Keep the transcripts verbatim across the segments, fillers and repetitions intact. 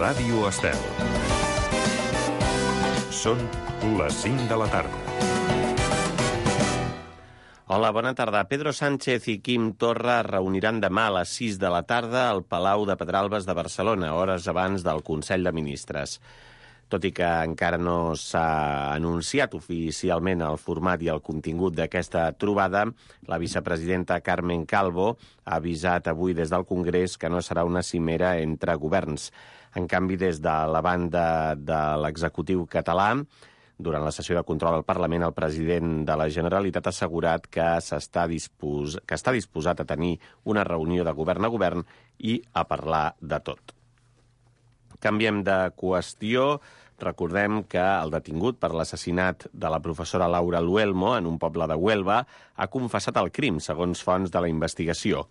Ràdio Estel. Són les cinc de la tarda. Hola, bona tarda. Pedro Sánchez i Quim Torra es reuniran demà a les sis de la tarda al Palau de Pedralbes de Barcelona, hores abans del Consell de Ministres. Tot i que encara no s'ha anunciat oficialment el format i el contingut d'aquesta trobada, la vicepresidenta Carmen Calvo ha avisat avui des del Congrés que no serà una cimera entre governs. En canvi, des de la banda de l'executiu català, durant la sessió de control al Parlament, el president de la Generalitat ha assegurat que, s'està dispos... que està disposat a tenir una reunió de govern a govern i a parlar de tot. Canviem de qüestió. Recordem que el detingut per l'assassinat de la professora Laura Luelmo en un poble de Huelva ha confessat el crim, segons fonts de la investigació.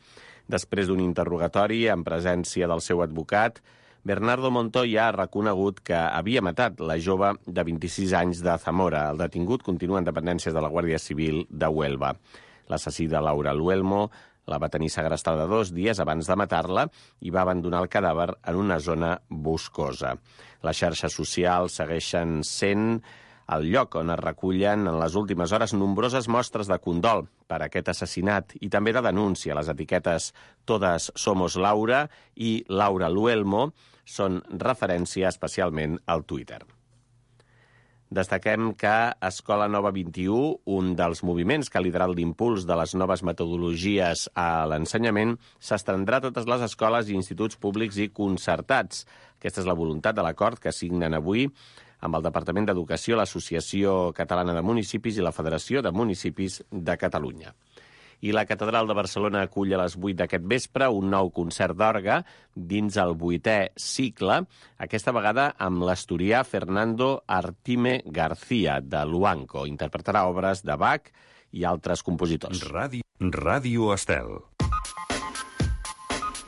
Després d'un interrogatori en presència del seu advocat, Bernardo Montoya ha reconegut que havia matat la jove de vint-i-sis anys de Zamora. El detingut continua en dependències de la Guàrdia Civil de Huelva. L'assassí de Laura Luelmo la va tenir segrestada dos dies abans de matar-la i va abandonar el cadàver en una zona boscosa. Les xarxes socials segueixen sent el lloc on es recullen en les últimes hores nombroses mostres de condol per aquest assassinat i també de denúncia. Les etiquetes Todas somos Laura i Laura Luelmo són referència especialment al Twitter. Destaquem que Escola Nova vint-i-u, un dels moviments que ha liderat l'impuls de les noves metodologies a l'ensenyament, s'estendrà a totes les escoles i instituts públics i concertats. Aquesta és la voluntat de l'acord que signen avui amb el Departament d'Educació, l'Associació Catalana de Municipis i la Federació de Municipis de Catalunya. I la Catedral de Barcelona acull a les vuit d'aquest vespre un nou concert d'orgue dins el vuitè cicle, aquesta vegada amb l'asturià Fernando Artime García, de Luanco. Interpretarà obres de Bach i altres compositors. Ràdio, Ràdio Estel.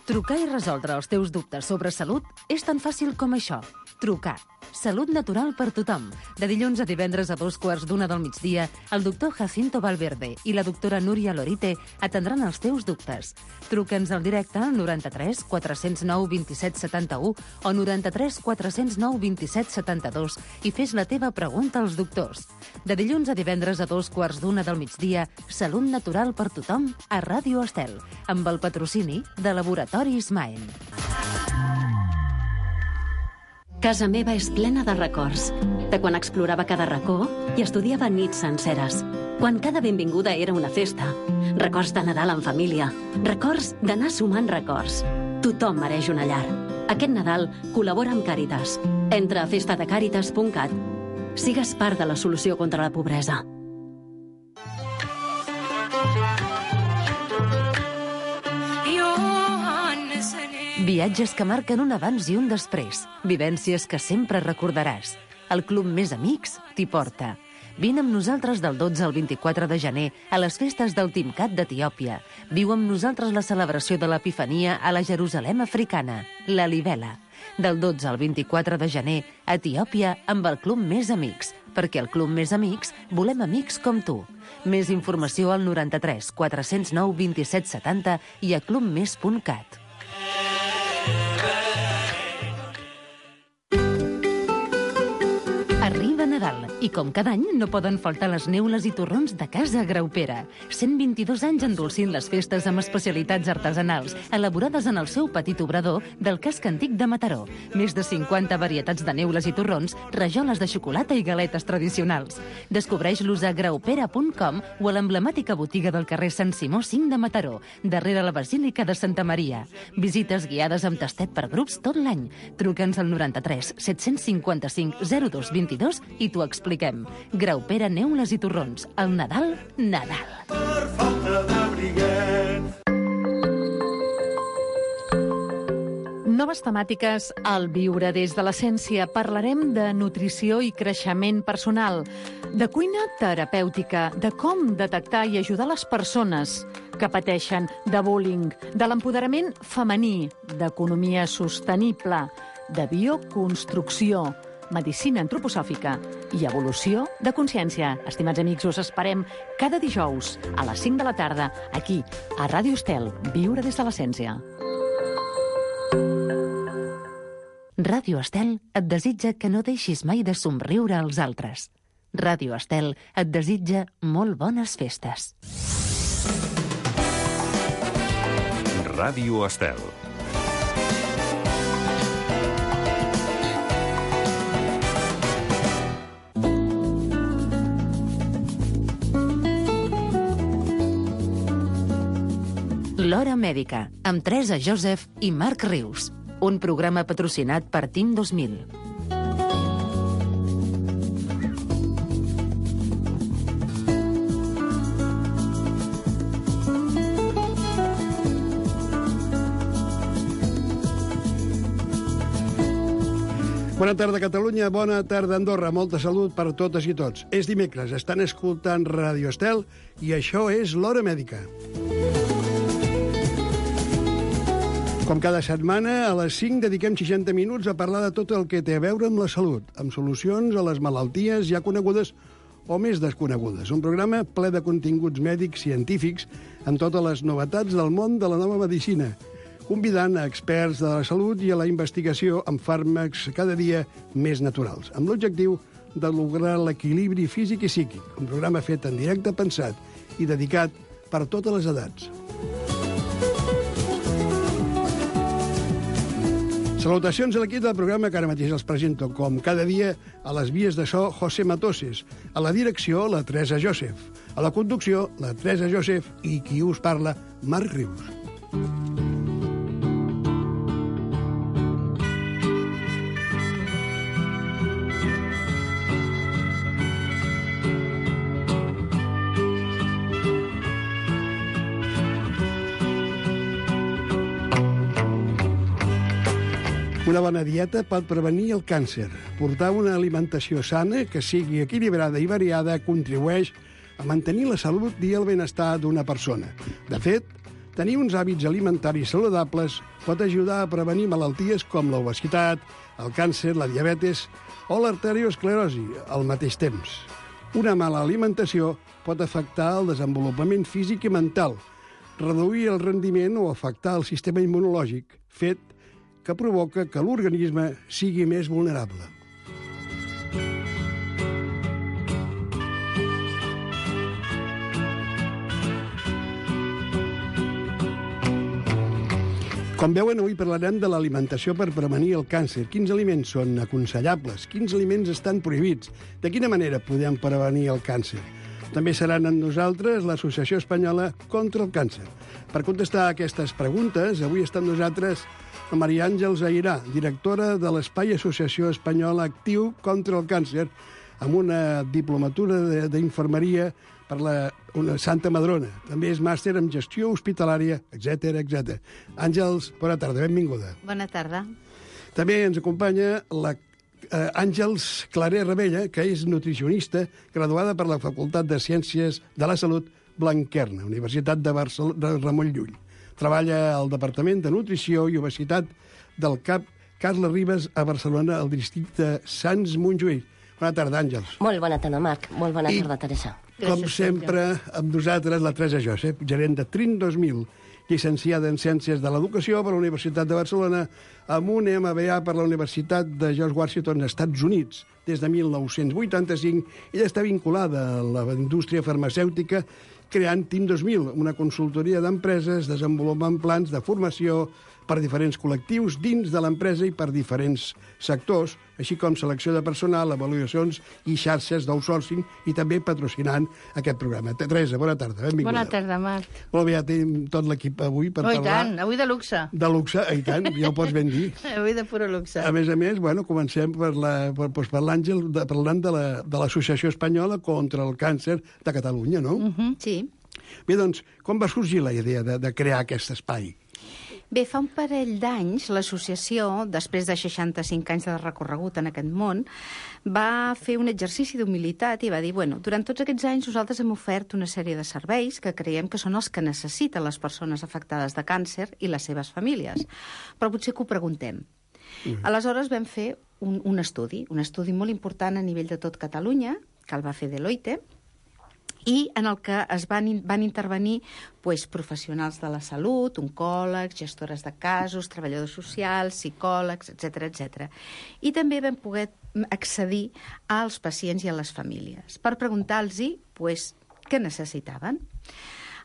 Trucar i resoldre els teus dubtes sobre salut és tan fàcil com això. Trucar. Salut natural per tothom. De dilluns a divendres a dos quarts d'una del migdia, el doctor Jacinto Valverde i la doctora Núria Lorite atendran els teus dubtes. Truca'ns al directe al noranta-tres quatre zero nou vint set setanta-u o noranta-tres quatre zero nou vint set setanta-dos i fes la teva pregunta als doctors. De dilluns a divendres a dos quarts d'una del migdia, Salut natural per tothom a Ràdio Estel, amb el patrocini de Laboratoris Maen. Casa meva és plena de records, de quan explorava cada racó i estudiava nits senceres, quan cada benvinguda era una festa, records de Nadal en família, records d'anar sumant records. Tothom mereix una llar. Aquest Nadal col·labora amb Càritas. Entra a festa de càritas punt cat. Sigues part de la solució contra la pobresa. Viatges que marquen un abans i un després. Vivències que sempre recordaràs. El Club Més Amics t'hi porta. Vine amb nosaltres del dotze al vint-i-quatre de gener a les festes del Timcat d'Etiòpia. Viu amb nosaltres la celebració de l'Epifania a la Jerusalem africana, la Libela. Del dotze al vint-i-quatre de gener a Etiòpia amb el Club Més Amics, perquè al Club Més Amics volem amics com tu. Més informació al noranta-tres quatre zero nou vint set setanta i a clubmes punt cat. Arriba Nadal i com cada any no poden faltar les neules i torrons de Casa Graupera. cent vint-i-dos anys endolcint les festes amb especialitats artesanals, elaborades en el seu petit obrador del casc antic de Mataró. Més de cinquanta varietats de neules i torrons, rajoles de xocolata i galetes tradicionals. Descobreix-los a graupera punt com o a l'emblemàtica botiga del carrer Sant Simó cinc de Mataró, darrere la Basílica de Santa Maria. Visites guiades amb tastet per grups tot l'any. Truca'ns al noranta-tres set-cents cinquanta-cinc zero dos vint-i-dos i t'ho expliquem. Graupera, neules i torrons. El Nadal, Nadal. Per falta de briguet. Noves temàtiques al Viure des de l'Essència. Parlarem de nutrició i creixement personal, de cuina terapèutica, de com detectar i ajudar les persones que pateixen de bullying, de l'empoderament femení, d'economia sostenible, de bioconstrucció, medicina antroposòfica i evolució de consciència. Estimats amics, us esperem cada dijous a les cinc de la tarda, aquí, a Ràdio Estel, Viure des de l'Essència. Ràdio Estel et desitja que no deixis mai de somriure als altres. Ràdio Estel et desitja molt bones festes. Ràdio Estel. L'Hora Mèdica, amb Teresa Joseph i Marc Rius. Un programa patrocinat per Team dos mil. Bona tarda, Catalunya. Bona tarda, Andorra. Molta salut per totes i tots. És dimecres, estan escoltant Ràdio Estel i això és l'Hora Mèdica. Com cada setmana, a les cinc dediquem seixanta minuts a parlar de tot el que té a veure amb la salut, amb solucions a les malalties ja conegudes o més desconegudes. Un programa ple de continguts mèdics científics amb totes les novetats del món de la nova medicina, convidant a experts de la salut i a la investigació amb fàrmacs cada dia més naturals, amb l'objectiu de lograr l'equilibri físic i psíquic. Un programa fet en directe, pensat i dedicat per totes les edats. Salutacions a l'equip del programa, que ara mateix els presento com cada dia a les vies de so José Matoses, a la direcció la Teresa Joseph, a la conducció la Teresa Joseph i qui us parla, Marc Rius. Una bona dieta pot prevenir el càncer. Portar una alimentació sana, que sigui equilibrada i variada, contribueix a mantenir la salut i el benestar d'una persona. De fet, tenir uns hàbits alimentaris saludables pot ajudar a prevenir malalties com l'obesitat, el càncer, la diabetes o l'arteriosclerosi al mateix temps. Una mala alimentació pot afectar el desenvolupament físic i mental, reduir el rendiment o afectar el sistema immunològic, fet que provoca que l'organisme sigui més vulnerable. Com veuen, avui parlarem de l'alimentació per prevenir el càncer. Quins aliments són aconsellables? Quins aliments estan prohibits? De quina manera podem prevenir el càncer? També seran amb nosaltres l'Associació Espanyola contra el Càncer. Per contestar aquestes preguntes, avui està amb nosaltres la Maria Àngels Airà, directora de l'Espai Associació Espanyola Actiu contra el Càncer, amb una diplomatura d'infermeria per la una Santa Madrona. També és màster en gestió hospitalària, etcètera, etcètera. Àngels, bona tarda, benvinguda. Bona tarda. També ens acompanya la eh, Àngels Claret Rebella, que és nutricionista, graduada per la Facultat de Ciències de la Salut Blanquerna, Universitat de, Barcel de Ramon Llull. Treballa al Departament de Nutrició i Obesitat del C A P Carles Ribes a Barcelona, al districte Sants-Montjuïc. Bona tarda, Àngels. Molt bona tarda, Marc. Molt bona I, tarda, Teresa. Com Gràcies, sempre, amb nosaltres la Teresa Joseph, gerent de Trin dos mil, llicenciada en Ciències de l'Educació per la Universitat de Barcelona, amb un M B A per la Universitat de George Washington, als Estats Units. Des de mil nou-cents vuitanta-cinc, ella està vinculada a la indústria farmacèutica, creant Team dos mil, una consultoria d'empreses, desenvolupant plans de formació per diferents col·lectius dins de l'empresa i per diferents sectors, així com selecció de personal, avaluacions i xarxes d'outsourcing, i també patrocinant aquest programa. Teresa, bona tarda, benvinguda. Bona tarda, Marc. Molt bé, ja tenim tot l'equip avui per Oh, i parlar... tant, avui de luxe. De luxe, i tant, ja ho pots ben dir. Avui de puro luxe. A més a més, bueno, comencem per la, per, doncs per l'Àngel, de, parlant de la, de l'Associació Espanyola contra el Càncer de Catalunya, no? Uh -huh, sí. Bé, doncs, com va sorgir la idea de, de crear aquest espai? Bé, fa un parell d'anys l'associació, després de seixanta-cinc anys de recorregut en aquest món, va fer un exercici d'humilitat i va dir, bueno, durant tots aquests anys nosaltres hem ofert una sèrie de serveis que creiem que són els que necessiten les persones afectades de càncer i les seves famílies, però potser que ho preguntem. Mm. Aleshores vam fer un, un estudi, un estudi molt important a nivell de tot Catalunya, que el va fer Deloitte, i en el que es van, van intervenir pues, professionals de la salut, oncòlegs, gestores de casos, treballadors socials, psicòlegs, etcètera, etcètera. I també vam poder accedir als pacients i a les famílies per preguntar-los pues, què necessitaven.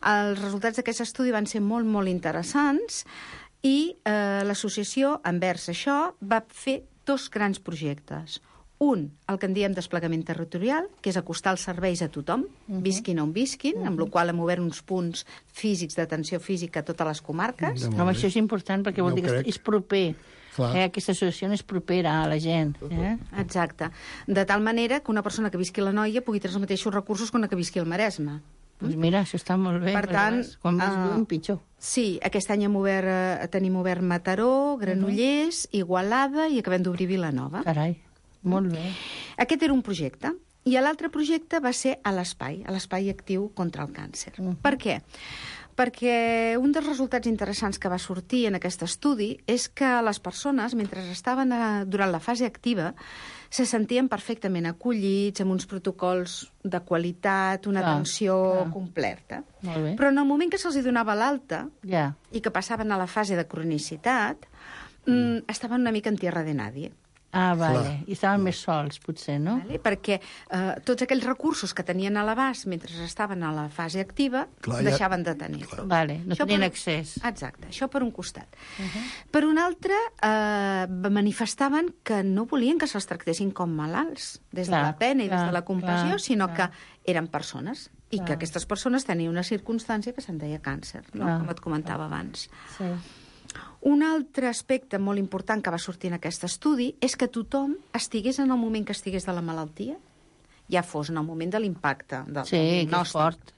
Els resultats d'aquest estudi van ser molt, molt interessants i eh, l'associació, envers això, va fer dos grans projectes. Un, el que en diem desplegament territorial, que és acostar els serveis a tothom, uh-huh. visquin on visquin, uh-huh. amb la qual hem obert uns punts físics d'atenció física a totes les comarques. No, això és important perquè vol No dir que crec. és proper. Eh? Aquesta associació és propera a la gent. Eh? Exacte. De tal manera que una persona que visqui a la Noia pugui tenir els mateixos recursos que una que visqui al Maresme. Doncs mira, això està molt bé. Per tant, quan més uh, lluny, pitjor. Sí, aquest any hem obert, eh, tenim obert Mataró, Granollers, uh-huh. Igualada i acabem d'obrir Vilanova. Carai, molt bé. Aquest era un projecte. I l'altre projecte va ser a l'espai, a l'espai actiu contra el càncer. Uh-huh. Per què? Perquè un dels resultats interessants que va sortir en aquest estudi és que les persones, mentre estaven a, durant la fase activa, se sentien perfectament acollits, amb uns protocols de qualitat, una clar, atenció clar. completa. Molt bé. Però en el moment que se'ls donava l'alta ja. i que passaven a la fase de cronicitat, mm, estaven una mica en tierra de nadie. Ah, vale. Clar. I estaven més sols, potser, no? Vale? Perquè eh, tots aquells recursos que tenien a l'abast mentre estaven a la fase activa Clar, ja- deixaven de tenir-los. Vale, no Això tenien per- accés. Exacte, això per un costat. Uh-huh. Per un altre, eh, manifestaven que no volien que se'ls tractessin com malalts, des Clar, de la pena i clar, des de la compassió, clar, sinó clar. que eren persones i Clar. que aquestes persones tenien una circumstància que se'n deia càncer, no? Clar. Com et comentava abans. Sí. Un altre aspecte molt important que va sortir en aquest estudi és que tothom estigués en el moment que estigués de la malaltia, ja fos en el moment de l'impacte del, Sí, del que és diagnòstic, fort.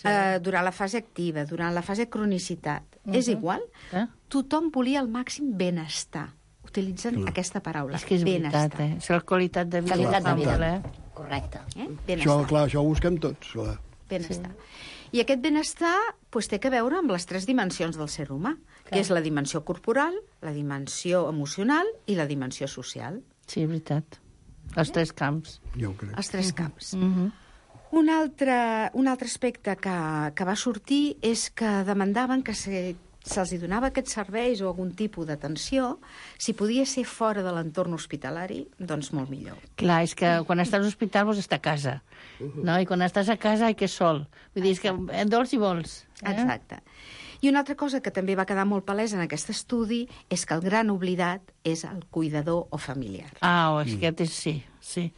Sí. eh, durant la fase activa, durant la fase de cronicitat, uh -huh. és igual, Eh? tothom volia el màxim benestar. Utilitzen Clar. aquesta paraula, És que és benestar. veritat, eh? És la qualitat de vida. Qualitat de vida. Eh? Correcte. Eh? Això, Benestar. clar, això ho busquem tots. Clar. benestar. Sí. I aquest benestar pues, té a veure amb les tres dimensions del ser humà, Clar. que és la dimensió corporal, la dimensió emocional i la dimensió social. Sí, és veritat. Els tres camps. Jo ho crec. Els tres camps. Mm -hmm. Un altre, un altre aspecte que, que va sortir és que demandaven que se, se'ls donava aquests serveis o algun tipus d'atenció, si podia ser fora de l'entorn hospitalari, doncs molt millor. Clar, és que quan estàs a l'hospital vols estar a casa, no? I quan estàs a casa, ai, que sol. Vull dir, és que dols i vols. Eh? Exacte. I una altra cosa que també va quedar molt palesa en aquest estudi és que el gran oblidat és el cuidador o familiar. Ah, o és que aquest és, sí, sí.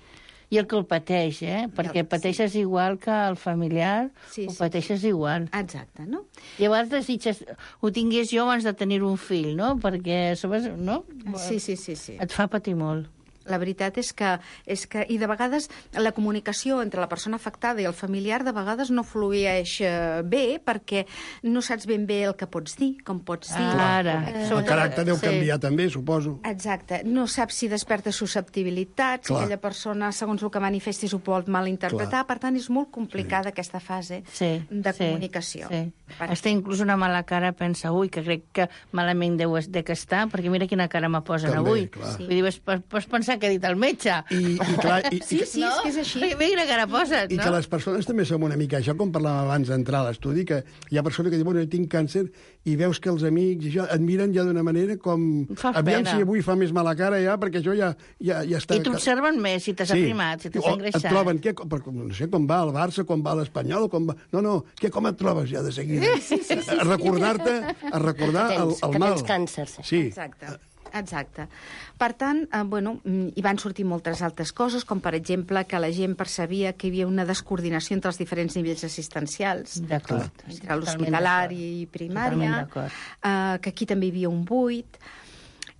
I el que el pateix, eh? Perquè el- pateixes sí. igual que el familiar, Sí, ho sí. pateixes igual. Exacte, no? Llavors desitges, ho tingués jo abans de tenir un fill, no? Perquè, sabes, no? Sí, sí, sí, sí. Et fa patir molt. La veritat és que, és que... I de vegades la comunicació entre la persona afectada i el familiar de vegades no flueix eh, bé perquè no saps ben bé el que pots dir, com pots dir. Ara. Eh, El caràcter deu Sí. canviar també, suposo. Exacte. No saps si desperta susceptibilitat, si Clar. aquella persona, segons el que manifestis, ho pot malinterpretar. Per tant, és molt complicada aquesta fase Sí, de sí, comunicació. Sí. Per- Hasta inclús una mala cara pensa, ui, que crec que malament deu de que està, perquè mira quina cara me posen També, avui. clar. Vull dir, pots, pots pensar que ha dit el metge. I, i, clar, i, Sí, i, sí, és que és així. Mira quina cara poses, I no? que les persones també som una mica això, com parlàvem abans d'entrar a l'estudi, que hi ha persones que diuen, bueno, jo tinc càncer, i veus que els amics i això et miren ja d'una manera com... Fas Aviam pena. si avui fa més mala cara ja, perquè això ja, ja, ja està... I t'observen més, si t'has aprimat, si t'has O engreixat. et troben, què, com, no sé, com va el Barça, com va l'Espanyol, com va... No, no, què, com et trobes ja de seguida? Sí, sí, sí, a recordar-te, a recordar Que el, tens- el que mal. tens càncer, sí. Sí. Exacte. Exacte. Per tant, eh, bueno, mm, hi van sortir moltes altres coses, com per exemple que la gent percebia que hi havia una descoordinació entre els diferents nivells assistencials, D'acord. entre l'hospitalari i primària, Totalment d'acord. eh, que aquí també hi havia un buit.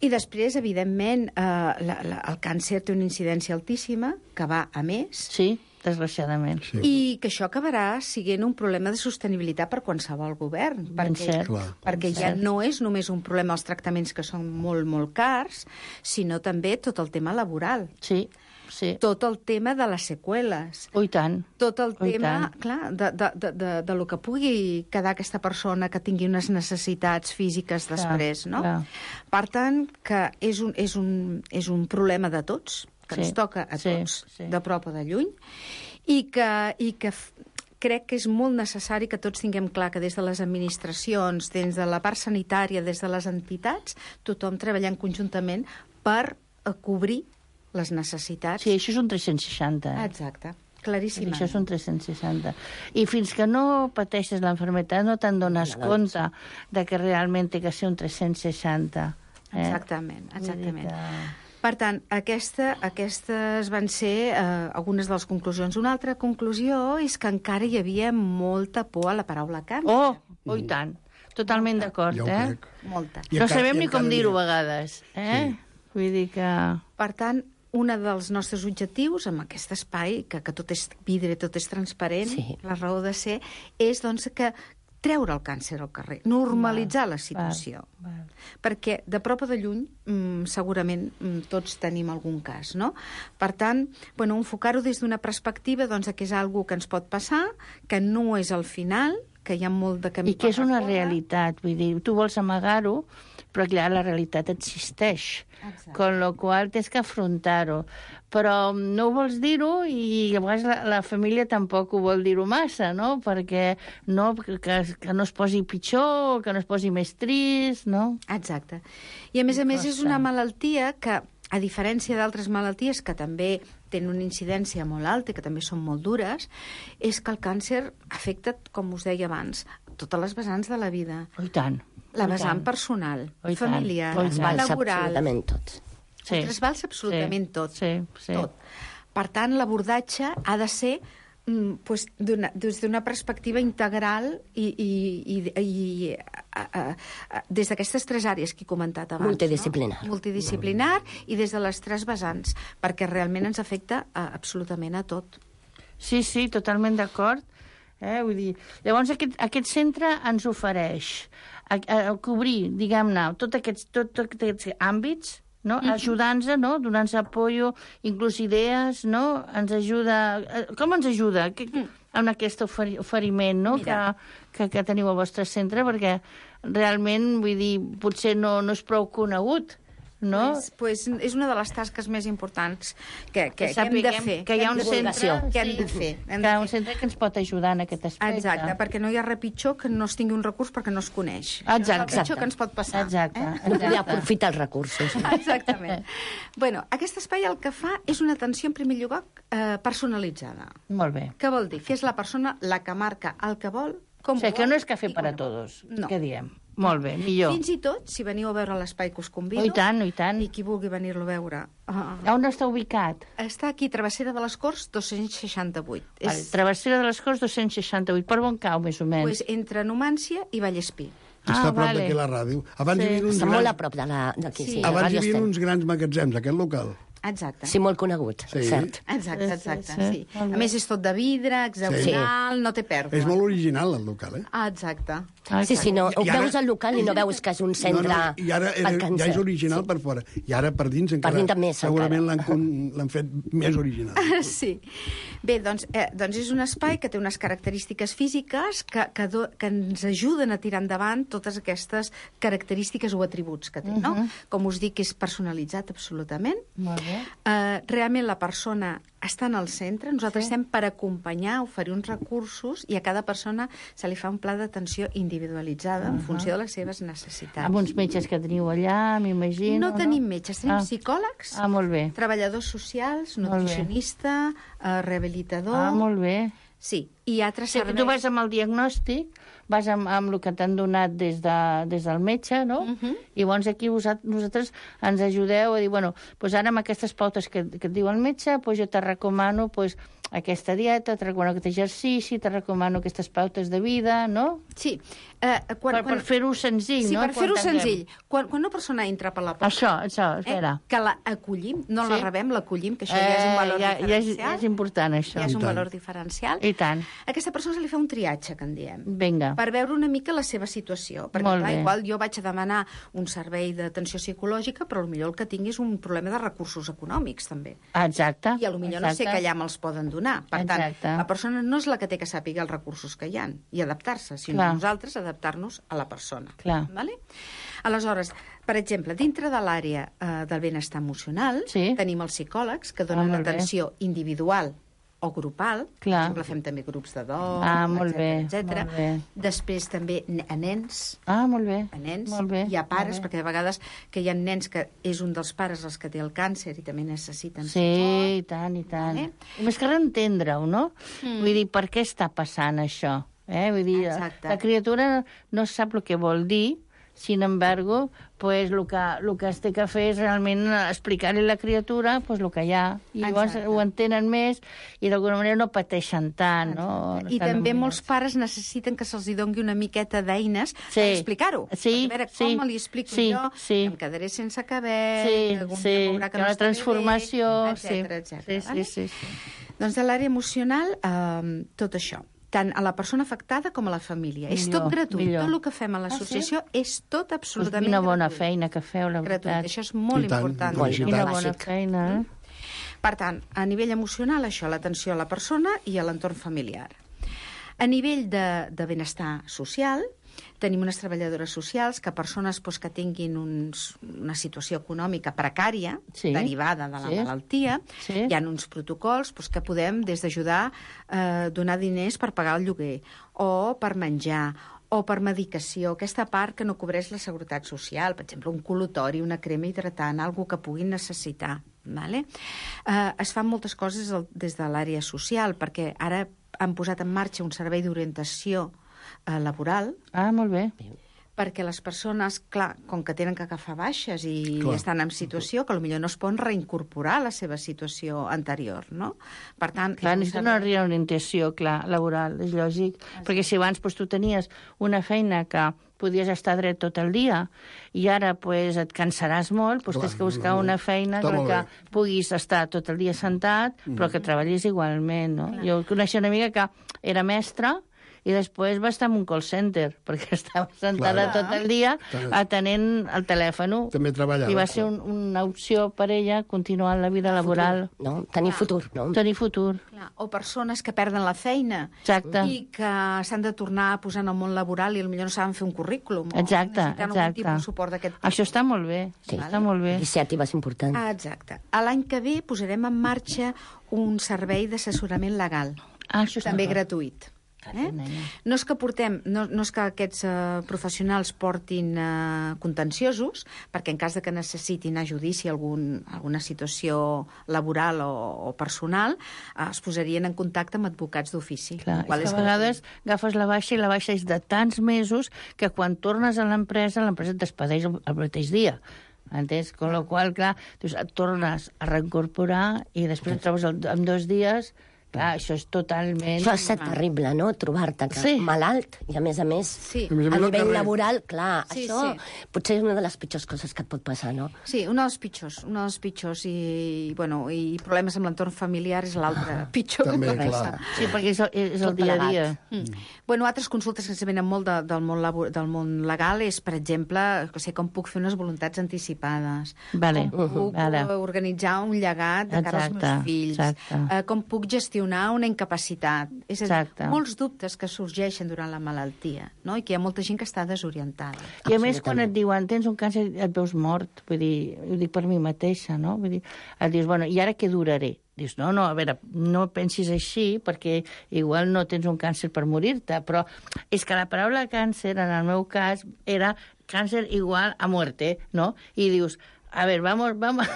I després, evidentment, eh, la, la, el càncer té una incidència altíssima, que va a més, Sí, desgraciadament. Sí. i que això acabarà sent un problema de sostenibilitat per qualsevol govern, Ben perquè, cert. Clar. perquè ja no és només un problema els tractaments que són molt, molt cars, sinó també tot el tema laboral, Sí, sí. tot el tema de les seqüeles, Oh, i tant. tot el Oh, i tema, tant. clar, de, de, de, de, de lo que pugui quedar aquesta persona que tingui unes necessitats físiques Clar, després, no? clar. Per tant, que és un, és un, és un problema de tots, que Sí, ens toca a sí, tots, sí. de prop o de lluny, i que, i que f- crec que és molt necessari que tots tinguem clar que des de les administracions, des de la part sanitària, des de les entitats, tothom treballant conjuntament per a cobrir les necessitats. Sí, això és un tres-cents seixanta. Eh? Exacte, claríssimament. Això és un tres-cents seixanta. I fins que no pateixes l'enfermetat no te'n dones no, compte de que realment té que ser un tres-cents seixanta. Eh? Exactament, exactament. Per tant, aquesta, aquestes van ser eh, algunes de les conclusions. Una altra conclusió és que encara hi havia molta por a la paraula càncer. Oh, oh i tant. Totalment d'acord, Ja ho eh? crec. Molta. I No encara- sabem i ni com encara dir-ho n'hi a ha. vegades, eh? Sí. Vull dir que... Per tant, un dels nostres objectius amb aquest espai, que, que tot és vidre, tot és transparent, Sí. la raó de ser, és doncs, que treure el càncer al carrer, normalitzar la situació. Val, val. Perquè de prop o de lluny mm, segurament mm, tots tenim algun cas, no? Per tant, bueno, enfocar-ho des d'una perspectiva doncs, que és algo que ens pot passar, que no és el final, que hi ha molt de camí I que és per una recórrer. realitat, vull dir, tu vols amagar-ho, però clar, la realitat existeix, Exacte. con lo qual tens que afrontar-ho. Però no ho vols dir-ho i a vegades la, la família tampoc ho vol dir-ho massa, no? Perquè no, que, que no es posi pitjor, que no es posi més trist, no? Exacte. I a més a més és una malaltia que, a diferència d'altres malalties que també tenen una incidència molt alta i que també són molt dures, és que el càncer afecta, com us deia abans, totes les vessants de la vida. Oh, i tant. La Oh, i vessant tant. personal, Oh, i tant. familiar, Oh, i tant. laboral. Absolutament tots. Sí. Ho trasbalsa absolutament Sí, tot. sí, sí. tot. Per tant, l'abordatge ha de ser mm, pues, d'una- des d'una perspectiva integral i, i, i, i a, a, a, des d'aquestes tres àrees que he comentat abans. Multidisciplinar. No? Multidisciplinar i des de les tres vessants, perquè realment ens afecta a, absolutament a tot. Sí, sí, totalment d'acord. Eh? Vull dir, llavors aquest, aquest centre ens ofereix a, a, a cobrir, diguem-ne, tots aquests, tot, tot aquests àmbits, no? Mm-hmm. Ajudant-nos, no? Donant-nos apoyo, inclús idees, no? Ens ajuda... eh, Com ens ajuda que, que, amb aquest oferi, oferiment no? que, que, que teniu al vostre centre? Perquè realment, vull dir, potser no, no és prou conegut, no? Pues, pues, és una de les tasques més importants que, que, Que que hem de sapiguem fer. que hi ha un hem de- centre, que hem sí. de fer. Hem Que de hi ha un fer. centre que ens pot ajudar en aquest aspecte. Exacte, perquè no hi ha res pitjor que no es tingui un recurs perquè no es coneix. Exacte. És el pitjor que ens pot passar. Exacte. Eh? No poder aprofitar els recursos. Exactament. bueno, aquest espai el que fa és una atenció, en primer lloc, eh, personalitzada. Molt bé. Què vol dir? Que és la persona la que marca el que vol, com O sigui, que vol no és cafè i per a quan vol. tots, No. què diem? Molt bé, millor. Fins i tot, si veniu a veure l'espai que us convido, Oh, i tant, oh, i tant. i qui vulgui venir-lo a veure, uh, On està ubicat? està aquí, Travessera de les Corts, dos-cents seixanta-vuit. Vale, Travessera de les Corts, dos-cents seixanta-vuit. Per on cau, més o menys? pues, entre Numància i Vallespí. Està a prop vale. d'aquí la ràdio. Abans Sí. hi havia uns Està molt a grans, prop de la- d'aquí, Sí. sí. abans hi Ràdio havia Estel. uns grans magatzems, aquest local. Exacte. Sí, molt conegut, Sí. cert. Exacte, Sí, exacte, sí, sí. sí. Molt bé. A més, és tot de vidre, hexagonal, no té pèrdua. És molt original, el local, eh? Ah, exacte. Ah, Sí, sí, no, ho I ara- veus al local i no veus que és un centre no, no, I ara era, per ja càncer. és original per fora. I ara per dins encara... dins també és segurament encara. l'han con- l'han fet més original. Sí. Bé, doncs, eh, doncs és un espai que té unes característiques físiques que, que, do, que ens ajuden a tirar endavant totes aquestes característiques o atributs que té, no? Mhm. Com us dic, és personalitzat absolutament. Molt bé. Eh, realment la persona està en el centre, nosaltres sí. estem per acompanyar, oferir uns recursos i a cada persona se li fa un pla d'atenció individualitzada uh -huh. en funció de les seves necessitats. Amb uns metges que teniu allà, m'imagino. No tenim metges, tenim Ah. psicòlegs, Ah, molt bé. treballadors socials, Molt bé. nutricionista, eh, rehabilitador... Ah, molt bé. Sí, i altres O sigui, que tu vas amb el diagnòstic, vas amb, amb el que t'han donat des, de, des del metge, no? Uh -huh. I llavors aquí vosat, vosaltres ens ajudeu a dir, bueno, doncs ara amb aquestes pautes que, que et diu el metge, doncs jo te recomano doncs, aquesta dieta, te recomano aquest exercici, te recomano aquestes pautes de vida, no? Sí. Eh, quan, Per, quan... per fer-ho senzill, sí, no? per fer-ho Quan tanquem. senzill. Quan, quan una persona entra per la porta... Això, això, espera. Eh, que la acollim, no Sí. la rebem, l'acollim, que això ja és un valor Eh, ja, ja, és, diferencial. ja és important, això. Ja és un I tant. valor diferencial. I tant. A aquesta persona se li fa un triatge, que en diem, Vinga. per veure una mica la seva situació. Perquè, Molt clar, bé. igual jo vaig a demanar un servei d'atenció psicològica, però potser el que tinc és un problema de recursos econòmics, també. Exacte. I potser no sé que allà me'ls poden donar. Per Exacte. tant, la persona no és la que té que sàpiga els recursos que hi ha i adaptar-se, sinó Clar. nosaltres adaptar-nos a la persona. Clar. Vale? Aleshores, per exemple, dintre de l'àrea eh, del benestar emocional, Sí. tenim els psicòlegs que Ah, donen molt bé. atenció individual o grupal. Clar. Per exemple, fem també grups de dol, Ah, molt etcètera, bé, etcètera. molt bé. Després també ne- a nens, Ah, molt bé. a nens, Molt bé, hi ha pares, molt bé. perquè de vegades que hi ha nens que és un dels pares els que té el càncer i també necessiten Sí, i tant, i tant. Vale. I més que entendre-ho, no? Mm. Vull dir, per què està passant això? Eh? Vull dir, Exacte. la criatura no sap el que vol dir, sin embargo, pues, el, que, el que es té que fer és realment explicar-li a la criatura pues, el que hi ha. I llavors Exacte. ho entenen més i d'alguna manera no pateixen tant. No? I Estan també amoïnats. molts pares necessiten que se'ls hi doni una miqueta d'eines Sí. per explicar-ho. Sí, Perquè, a veure, sí, com li explico sí, jo, sí. em quedaré sense cabell, Sí, algun sí, dia veurà que hi ha no una estaré transformació. bé, Sí, etcètera, etcètera, sí, vale? sí, sí, sí. Doncs de l'àrea emocional, eh, tot això. Tant a la persona afectada com a la família. És Millor, tot gratuït. millor. Tot el que fem a l'associació és tot Pues absolutament quina bona gratuït. feina que feu, la Gratuït. veritat. Això és molt I tant, important. molt Quina Felicitats. bona Bàsic. feina. eh? Per tant, a nivell emocional, això, l'atenció a la persona i a l'entorn familiar. A nivell de, de benestar social, tenim unes treballadores socials que persones doncs, que tinguin uns, una situació econòmica precària, Sí. derivada de la Sí. malaltia, Sí. hi ha uns protocols doncs, que podem, des d'ajudar a eh, donar diners per pagar el lloguer, o per menjar, o per medicació, aquesta part que no cobreix la Seguretat Social, per exemple, un col·lutori, una crema hidratant, algo que puguin necessitar. Vale? Eh, es fan moltes coses al- des de l'àrea social, perquè ara han posat en marxa un servei d'orientació eh, laboral, Ah, molt bé. perquè les persones, clar, com que tenen que agafar baixes i Clar. estan en situació que potser no es poden reincorporar a la seva situació anterior, no? Per tant... Clar, és un necessita una servei- reorientació, clar, laboral, és lògic. Perquè si abans pues, tu tenies una feina que podies estar dret tot el dia i ara pues, et cansaràs molt, pues, Clar, tens que buscar no, no. una feina Està en molt què bé. puguis estar tot el dia sentat, però que treballis igualment. No? Jo coneixia una amiga que era mestra i després va estar en un call center, perquè estava sentada Clar. tot el dia Clar. atenent el telèfon. També treballava, I va ser un, una opció per ella continuar la vida laboral. No? Tenir futur, no? Tenir futur. Clar, o persones que perden la feina Exacte. i que s'han de tornar a posar en el món laboral i potser no saben fer un currículum. o Exacte, necessiten algun exacte. tipus de suport d'aquest tipus. Això està molt bé, Sí. està molt bé. Iniciatives importants. Ah, exacte. A l'any que ve posarem en marxa un servei d'assessorament legal, Ah, això està també bé. gratuït. Eh? nena. No és que portem, no, no és que aquests eh, professionals portin eh, contenciosos, perquè en cas de que necessitin a judici algun, alguna situació laboral o, o personal, eh, es posarien en contacte amb advocats d'ofici. Clar, el qual és és que a vegades agafes la baixa i la baixa és de tants mesos que quan tornes a l'empresa, l'empresa et despedeix el, el mateix dia. Entens? Con la qual, clar, doncs et tornes a reincorporar i després et trobes el, en dos dies. Clar, això és totalment... Això és terrible, no?, trobar-te que Sí. malalt i, a més a més, Sí. A més a més, a al nivell carrer. laboral, clar, Sí, això sí. potser és una de les pitjors coses que et pot passar, no? Sí, un dels pitjors, un dels pitjors i, bueno, i problemes amb l'entorn familiar és l'altre pitjor També, que pot clar. passar. Sí, perquè és, el- és el Tot dia a plegat. dia. Mm. Bueno, altres consultes que ens venen molt de, del, món labo, del món legal és, per exemple, que sé, com puc fer unes voluntats anticipades, Vale. com puc Vale. organitzar un llegat de cara als Exacte, meus fills, exacte. eh, com puc gestionar una incapacitat. És a dir, Exacte. molts dubtes que sorgeixen durant la malaltia, no? I que hi ha molta gent que està desorientada. I a més, quan et diuen tens un càncer, et veus mort. Vull dir, ho dic per mi mateixa, no? Vull dir, et dius, bueno, i ara què duraré? Dius, no, no, a veure, no pensis així, perquè igual no tens un càncer per morir-te, però és que la paraula càncer, en el meu cas, era càncer igual a muerte, no? I dius, a ver, vamos, vamos...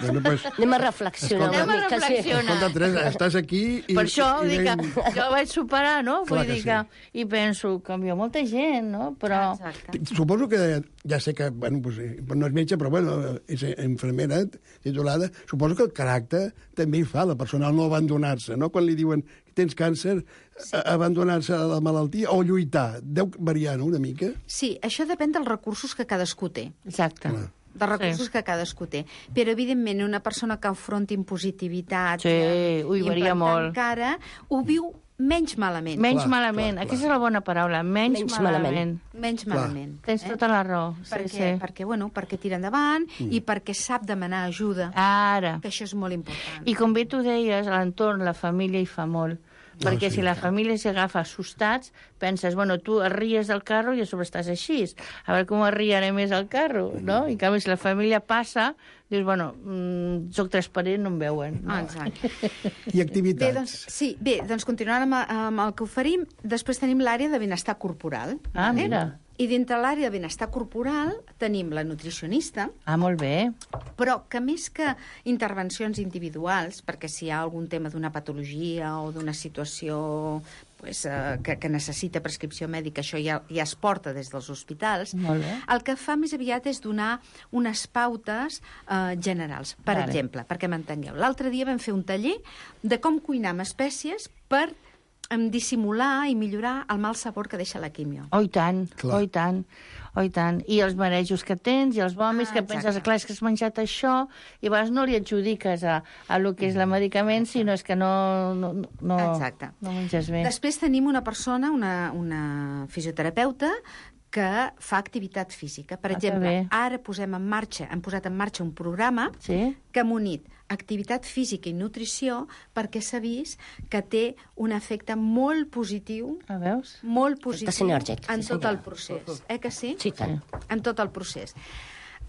Bueno, pues, Anem a reflexionar Escolta, una Anem a mica. sí. reflexionar. escolta, Teresa, estàs aquí i... Per això, i, vull dir que i- jo vaig superar, no? Clar Vull que dir que... I penso, canvia molta gent, no? Però... Exacte. Suposo que, ja sé que, bueno, pues, eh, no és metge, però bueno, és infermera titulada, suposo que el caràcter també hi fa, la persona, al no abandonar-se, no? Quan li diuen que tens càncer, sí. abandonar-se a la malaltia o lluitar, deu variar, no?, una mica? Sí, això depèn dels recursos que cadascú té. Exacte. Clar. dels recursos Sí. que cadascú té. Però, evidentment, una persona que afronti impositivitat Sí, i ui, varia implantant molt. cara, ho viu menys malament. Menys Clar, malament. clar, Aquesta clar. és la bona paraula. Menys, Menys malament. malament. Menys Clar. malament. Tens tota la raó. Sí, perquè, sí. perquè, bueno, perquè tira endavant mm. i perquè sap demanar ajuda, Ara. que això és molt important. I com bé tu deies, a l'entorn, la família hi fa molt. perquè sí, si la clar. família s'agafa assustats, penses, bueno, tu et ries del carro i a sobre estàs així. A veure com es riaré més al carro, no? I en canvi, si la família passa, dius, bueno, mmm, soc transparent, no em veuen. No? Ah, exacte. I activitats. Bé, doncs, sí, bé, doncs continuant amb, amb el que oferim, després tenim l'àrea de benestar corporal. Ah, vale? mira. I dintre l'àrea de benestar corporal tenim la nutricionista, Ah, molt bé. però que més que intervencions individuals, perquè si hi ha algun tema d'una patologia o d'una situació pues, eh, que, que necessita prescripció mèdica, això ja, ja es porta des dels hospitals, Molt bé. el que fa més aviat és donar unes pautes eh, generals. Per Vale. exemple, perquè m'entengueu, l'altre dia vam fer un taller de com cuinar amb espècies per em, dissimular i millorar el mal sabor que deixa la químio. Oh, i tant, Clar. oh, i tant, oh, i tant. I els marejos que tens, i els vòmits, Ah, que penses, exacte. clar, és que has menjat això, i a vegades no li adjudiques a, a lo que és el medicament, sinó és que no, no, no, Exacte. no menges bé. Després tenim una persona, una, una fisioterapeuta, que fa activitat física. Per Ah, que exemple, bé. ara posem en marxa, hem posat en marxa un programa Sí? que ha unit activitat física i nutrició perquè s'ha vist que té un efecte molt positiu, A veus? molt positiu sinèrgic, en sí, tot senyora. el procés. Eh que sí? Sí, tant. En tot el procés.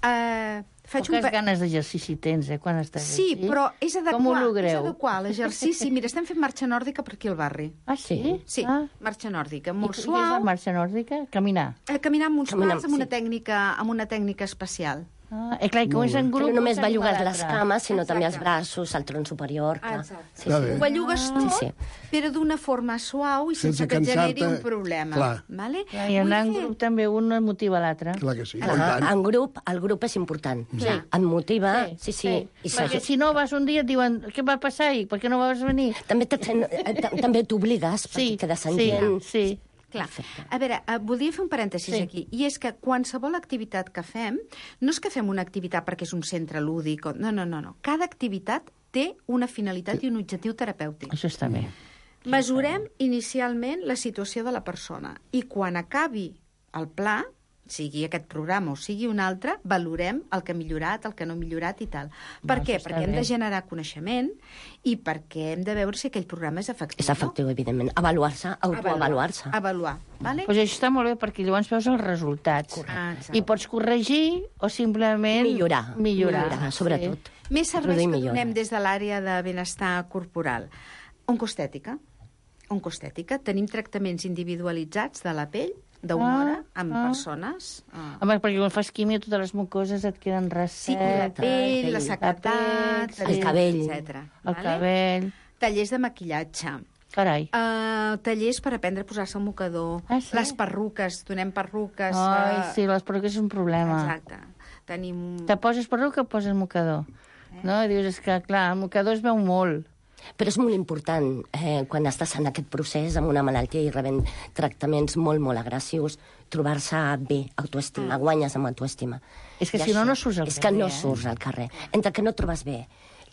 Uh, faig Poques un... pe- ganes d'exercici tens, eh, quan estàs Sí, així. però és adequar, Com ho és logreu? adequar l'exercici. Mira, estem fent marxa nòrdica per aquí al barri. Ah, sí? Sí, Ah. marxa nòrdica, I, molt I és suau. la marxa nòrdica? Caminar. Eh, caminar amb uns Caminar, pals, amb una sí. tècnica, amb una tècnica especial. Ah, eh, clar, i com és en Que grup... no només s'anima bellugues les l'altre. cames, sinó també els Exacte. braços, el tronc superior. Clar. Exacte. Sí, Està sí. bé. Ho bellugues tot, Sí, sí. però d'una forma suau i sense, Sense que et generi cansar-te. un problema. Clar. Vale? Clar, I anar en Vull fer- grup també un motiva l'altre. Clar que sí. Clar, i tant. en grup, el grup és important. Sí. Et motiva, sí, sí. I Perquè s'ajuda. si no vas un dia et diuen què va passar ahir, per què no vas venir? També te fent- eh, ta- també t'obligues, Sí, perquè quedes en sí, gent... sí. Clar. Perfecte. A veure, eh, voldria fer un parèntesis Sí. aquí, i és que qualsevol activitat que fem, no és que fem una activitat perquè és un centre lúdic, o... no, no, no, no. Cada activitat té una finalitat i un objectiu terapèutic. Això està bé. Mesurem inicialment la situació de la persona i quan acabi el pla, sigui aquest programa o sigui un altre, valorem el que ha millorat, el que no ha millorat i tal. Per No, què? això està Perquè hem bé. de generar coneixement i perquè hem de veure si aquell programa és efectiu. És efectiu, evidentment. Avaluar-se, No? autoavaluar-se. Avaluar. Vale? Pues això està molt bé, perquè llavors veus els resultats. Ah, exacte. I pots corregir o simplement... Millorar. Millorar, Millorar, sobretot. Sí. Més serveis Produir que millora. donem des de l'àrea de benestar corporal. Oncostètica. Oncostètica. Tenim tractaments individualitzats de la pell, d'una Ah, hora, amb ah. persones. Ah. Home, perquè quan fas químia totes les mucoses et queden Sí, la ressetes. pell, la pell, sequedat, la pell, el cabell. etcètera. El cabell... Tallers de maquillatge. Carai. Uh, tallers per aprendre a posar-se el mocador. Ah, sí? Les perruques, donem perruques. Ai, eh, sí, les perruques és un problema. Exacte. Tenim... Te poses perruca o poses mocador? No? I dius, és que, clar, el mocador es veu molt. Però és molt important, eh, quan estàs en aquest procés amb una malaltia i rebent tractaments molt, molt agressius, trobar-se bé, autoestima, guanyes amb autoestima. És que I si no, això no surts al És carrer, que no eh? surts al carrer. Entre que no trobes bé,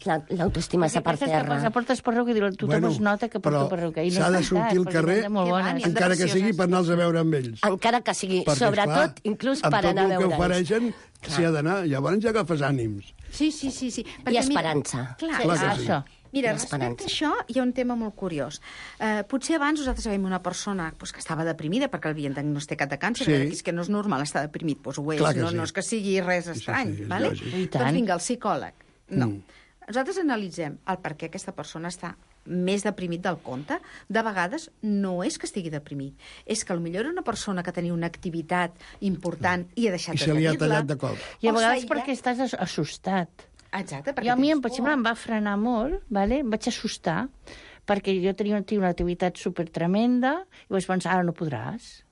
la- l'autoestima està per Penses que terra. portes- portes perruca i dius, tothom es nota que porto però perruca. I no s'ha de és sortir al veritat, perquè carrer, són molt Que va, bones. n'hi ha de encara que sigui precioses. per anar-los a veure amb ells. Encara que sigui, Perquè, sobretot, clar, inclús amb per anar a tot el que veure'ls. ofereixen, s'hi ha d'anar. Llavors ja agafes ànims. Sí, sí, sí. sí. I esperança. Clar, Clar que ah, sí. Això. Mira, I respecte a esperança. això, hi ha un tema molt curiós. Uh, potser abans nosaltres veiem una persona pues, que estava deprimida perquè l'havien diagnosticat de càncer, Sí. sí. és que no és normal estar deprimit, doncs ho és, Clar que no, sí. no és que sigui res Sí, sí, estrany. sí, és vale? lògic. I tant. Doncs vinga, el psicòleg. No. Mm. Nosaltres analitzem el per què aquesta persona està més deprimit del compte. De vegades no és que estigui deprimit, és que potser era una persona que tenia una activitat important i ha deixat I de se li ha tenir-la. tallat de cop. I a O vegades s'aïlla- perquè estàs as- assustat. Exacte, perquè Jo a mi, tens per por. exemple, em va frenar molt, vale? em vaig assustar, perquè jo tenia, tenia una activitat super tremenda i vaig pensar, ara no podràs.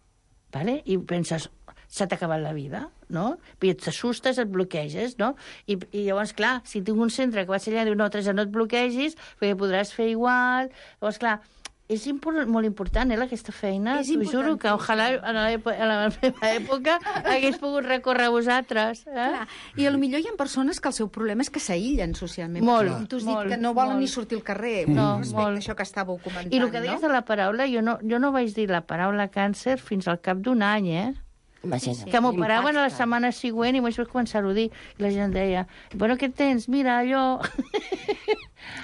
Vale? I penses, s'ha acabat la vida, no? I et t'assustes, et bloqueges, no? I, I llavors, clar, si tinc un centre que vaig allà i diu, no, Teresa, no et bloquegis, perquè podràs fer igual. Llavors, clar, és import, molt important, eh, aquesta feina. És T'ho juro que ojalà a la, èpo- a la meva època hagués pogut recórrer a vosaltres. Eh? Clar. I a lo millor hi ha persones que el seu problema és que s'aïllen socialment. Molt, Com tu has molt, dit, que no volen molt. ni sortir al carrer. No, respecte molt. a això que estàveu comentant, I el que deies no? de la paraula, jo no, jo no vaig dir la paraula càncer fins al cap d'un any, eh? Imagina't. Que m'operaven a la L'impacte. setmana següent i vaig començar-ho a dir. I la gent deia, bueno, què tens? Mira, allò...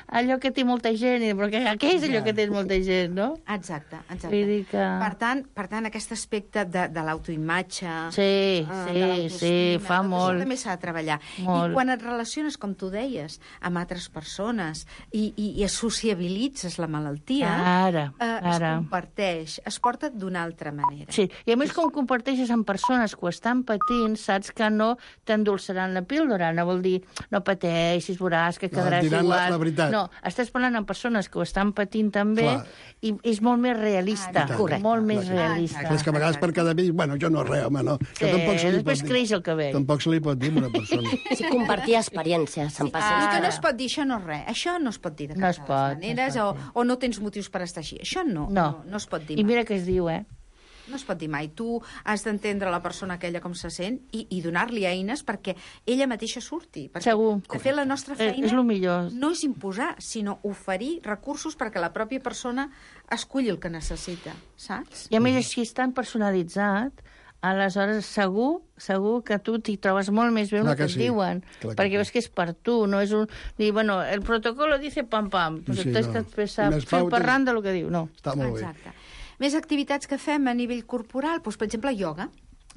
allò que té molta gent, però què, què és allò que té molta gent, no? Exacte, exacte. Vull dir que... Per tant, per tant aquest aspecte de, de l'autoimatge... Sí, eh, sí, de l'autoestima, sí, fa tot molt. això també s'ha de treballar. Molt. I quan et relaciones, com tu deies, amb altres persones i, i, i sociabilitzes la malaltia, Ara, eh, es ara. comparteix, es porta d'una altra manera. Sí, i a més com comparteixes amb persones que ho estan patint, saps que no t'endolçaran la píldora, no vol dir no pateixis, veuràs que No, quedaràs diran la- igual. la veritat. No, estàs parlant amb persones que ho estan patint també Clar. i és molt més realista, Ah, correcte. molt més Clar. realista. És que a vegades per cada vell, bueno, jo no res, home, no. Que Sí, tampoc se li després pot dir. creix el cabell. Tampoc se li pot dir a una persona. Sí, compartir experiències, se'n passa. El que no Ara. es pot dir, això no és res. Això no es pot dir de No cap es de les pot, no es maneres, pot o, o no tens motius per estar així. Això no, No. no, no es pot dir I mai. mira què es diu, eh? No es pot dir mai. Tu has d'entendre la persona aquella com se sent i, i donar-li eines perquè ella mateixa surti. Perquè, Segur. de fet, la nostra És- feina és lo millor. no és imposar, sinó oferir recursos perquè la pròpia persona esculli el que necessita, saps? I a més així és tan personalitzat, aleshores segur, segur que tu t'hi trobes molt més bé amb Clar el que que et sí. diuen, Clar que perquè sí. veus que és per tu, no és un... Dir, bueno, el protocolo dice pam pam, però Sí, sí, tens no. que expressar Unes fil pautes- parrant del que diu, no. Està molt bé. Exacte. Més activitats que fem a nivell corporal, doncs, per exemple, ioga.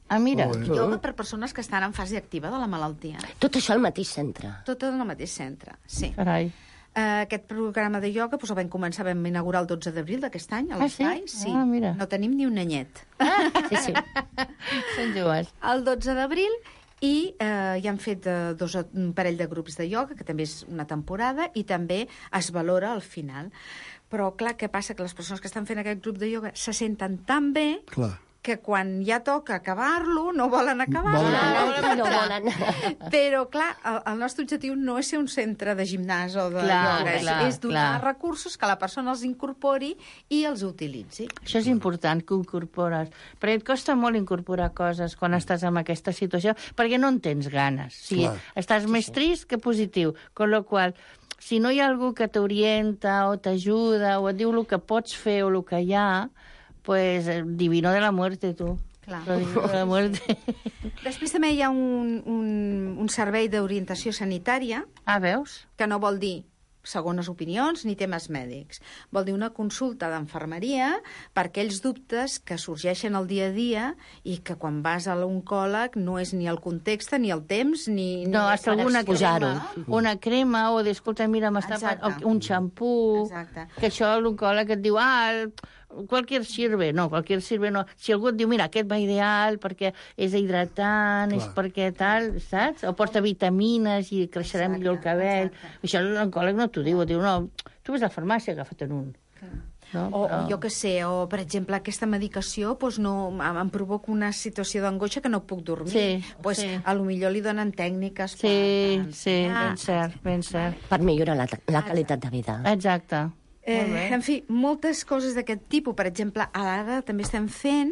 Ah, mira, Molt bé. Ioga per persones que estan en fase activa de la malaltia. Tot això al mateix centre. Tot en el mateix centre, sí. carai. Uh, aquest programa de ioga doncs, el vam començar, vam inaugurar el dotze d'abril d'aquest any, a Ah, sí? l'Espai. Sí. Ah, mira. No tenim ni un anyet. Sí, sí. Són joves. El dotze d'abril i eh, ja han fet eh, dos, o- un parell de grups de ioga, que també és una temporada, i també es valora al final. Però, clar, què passa? Que les persones que estan fent aquest grup de ioga se senten tan bé Clar. que quan ja toca acabar-lo no volen Volen acabar-lo. acabar-lo. No volen. Però, clar, el, el nostre objectiu no és ser un centre de gimnàs o de Clar, ioga, és, clar, és donar clar. recursos que la persona els incorpori i els utilitzi. Això és important, que ho incorpores. Perquè et costa molt incorporar coses quan estàs en aquesta situació, perquè no en tens ganes. O sigui, Clar. estàs més trist que positiu. Con lo qual, si no hi ha algú que t'orienta o t'ajuda o et diu el que pots fer o el que hi ha, pues, eh, divino de la muerte, tu. Clar. Lo divino de la muerte. Després també hi ha un, un, un servei d'orientació sanitària, Ah, veus? que no vol dir segones opinions ni temes mèdics. Vol dir una consulta d'enfermeria per aquells dubtes que sorgeixen al dia a dia i que quan vas a l'oncòleg no és ni el context, ni el temps, ni... No, ni hasta per alguna exposar-ho. crema, una crema, o de, escolta, mira, m'està... Exacte. o un xampú, Exacte. que això l'oncòleg et diu, ah, el- qualquier sirve, no, qualquier sirve no. Si algú et diu, mira, aquest va ideal perquè és hidratant, és Clar. perquè tal, saps? O porta vitamines i creixerà Exacte, millor el cabell. exacte. Això l'oncòleg no t'ho diu, et diu, no, tu ves a la farmàcia, agafa't un. No? O, o Però- jo que sé, o per exemple aquesta medicació doncs no, em, em provoca una situació d'angoixa que no puc dormir. Sí, pues, sí. A lo millor li donen tècniques Sí, per, per sí, ensenyar. ben cert, ben cert. Per millorar la, la qualitat de vida. Exacte. Molt bé. Eh, en fi, moltes coses d'aquest tipus. Per exemple, ara també estem fent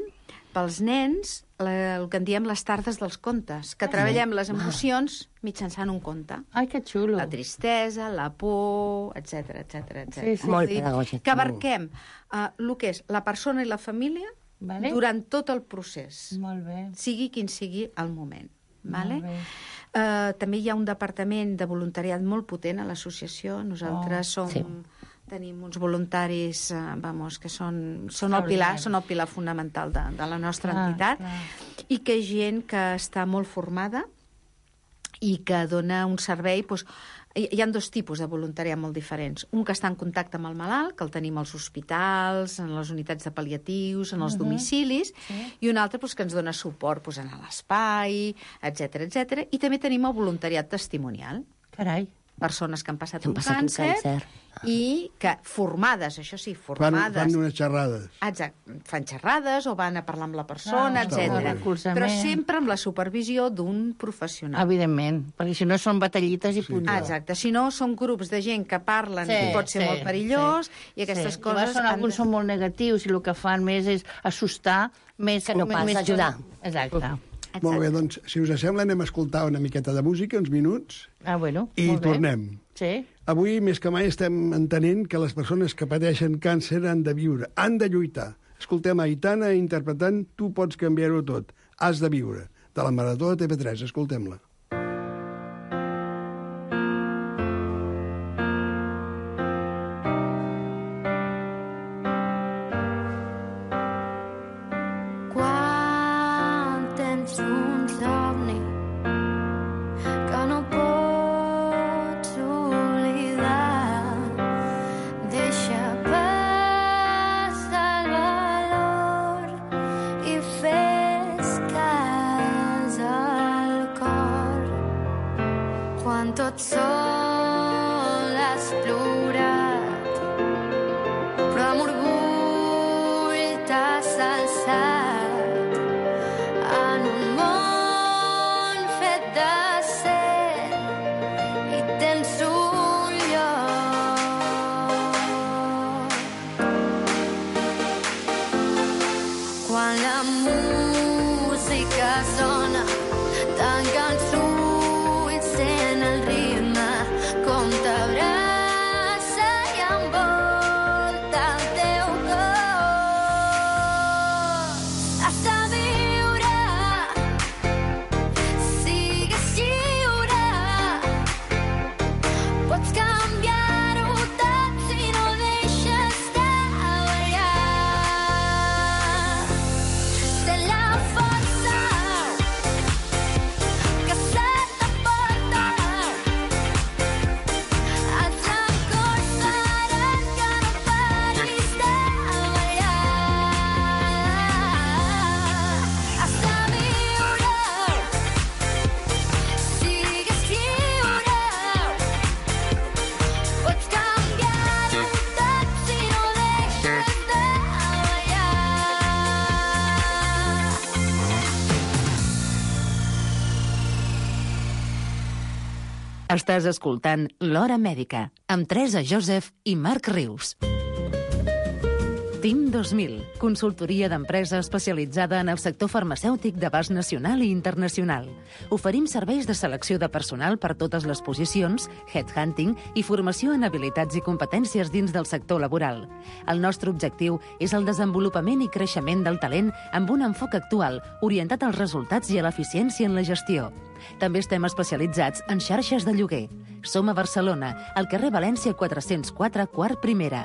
pels nens la, el que en diem les tardes dels contes, que treballem les emocions mitjançant un conte. Ai, que xulo. La tristesa, la por, etc etc etc. Sí, sí. Molt pedagògic. Que abarquem uh, el que és la persona i la família Vale. durant tot el procés, Molt bé. sigui quin sigui el moment. Vale? Molt bé. Uh, també hi ha un departament de voluntariat molt potent a l'associació. Nosaltres Oh, som... sí. Tenim uns voluntaris, eh, vamos, que són, són, el pilar, són el pilar fonamental de, de la nostra Clar, entitat, clar. i que és gent que està molt formada i que dona un servei... Doncs, hi hi ha dos tipus de voluntariat molt diferents. Un que està en contacte amb el malalt, que el tenim als hospitals, en les unitats de pal·liatius, en els domicilis, i un altre doncs, que ens dona suport doncs, en l'espai, etc etc. I també tenim el voluntariat testimonial. Carai. Persones que han passat, Que han un, passat un càncer, càncer. i que formades, això sí, Fan, formades... fan unes xerrades. Exacte, fan xerrades o van a parlar amb la persona, Ah, està molt bé. etcètera. Recolzament. Però sempre amb la supervisió d'un professional. Evidentment, perquè si no són batallites i punt. Ah, exacte, si no són grups de gent que parlen Sí, i pot ser sí, molt perillós, sí. i aquestes sí. coses... Són, han alguns de- són molt negatius i el que fan més és assustar més... Que no pas més ajudar. Exacte. Molt bé, doncs, si us sembla, anem a escoltar una miqueta de música, uns minuts, Ah, bueno, i molt bé. tornem. Sí. Avui, més que mai, estem entenent que les persones que pateixen càncer han de viure, han de lluitar. Escoltem Aitana interpretant Tu pots canviar-ho tot, has de viure, de la Marató de T V tres. Escoltem-la. quan tot sol has plorat, però amb orgull t'has alçat en un món fet d'acer i tens un lloc. Quan la música sona, tanca els ulls, sent el ritme com t'abraça i envolta el teu cos. Has de viure, sigues lliure, pots canviar-ho tot si no deixes de ballar. Sent la força que se t'aporta, els records faran que no paris de ballar. Has de viure, sigues lliure, pots canviar-ho tot si no deixes de ballar. Estàs escoltant L'Hora Mèdica, amb Teresa Joseph i Marc Rius. Team dos mil, consultoria d'empresa especialitzada en el sector farmacèutic d'abast nacional i internacional. Oferim serveis de selecció de personal per totes les posicions, headhunting i formació en habilitats i competències dins del sector laboral. El nostre objectiu és el desenvolupament i creixement del talent amb un enfoc actual, orientat als resultats i a l'eficiència en la gestió. També estem especialitzats en xarxes de lloguer. Som a Barcelona, al carrer València quatre-cents quatre, quart primera.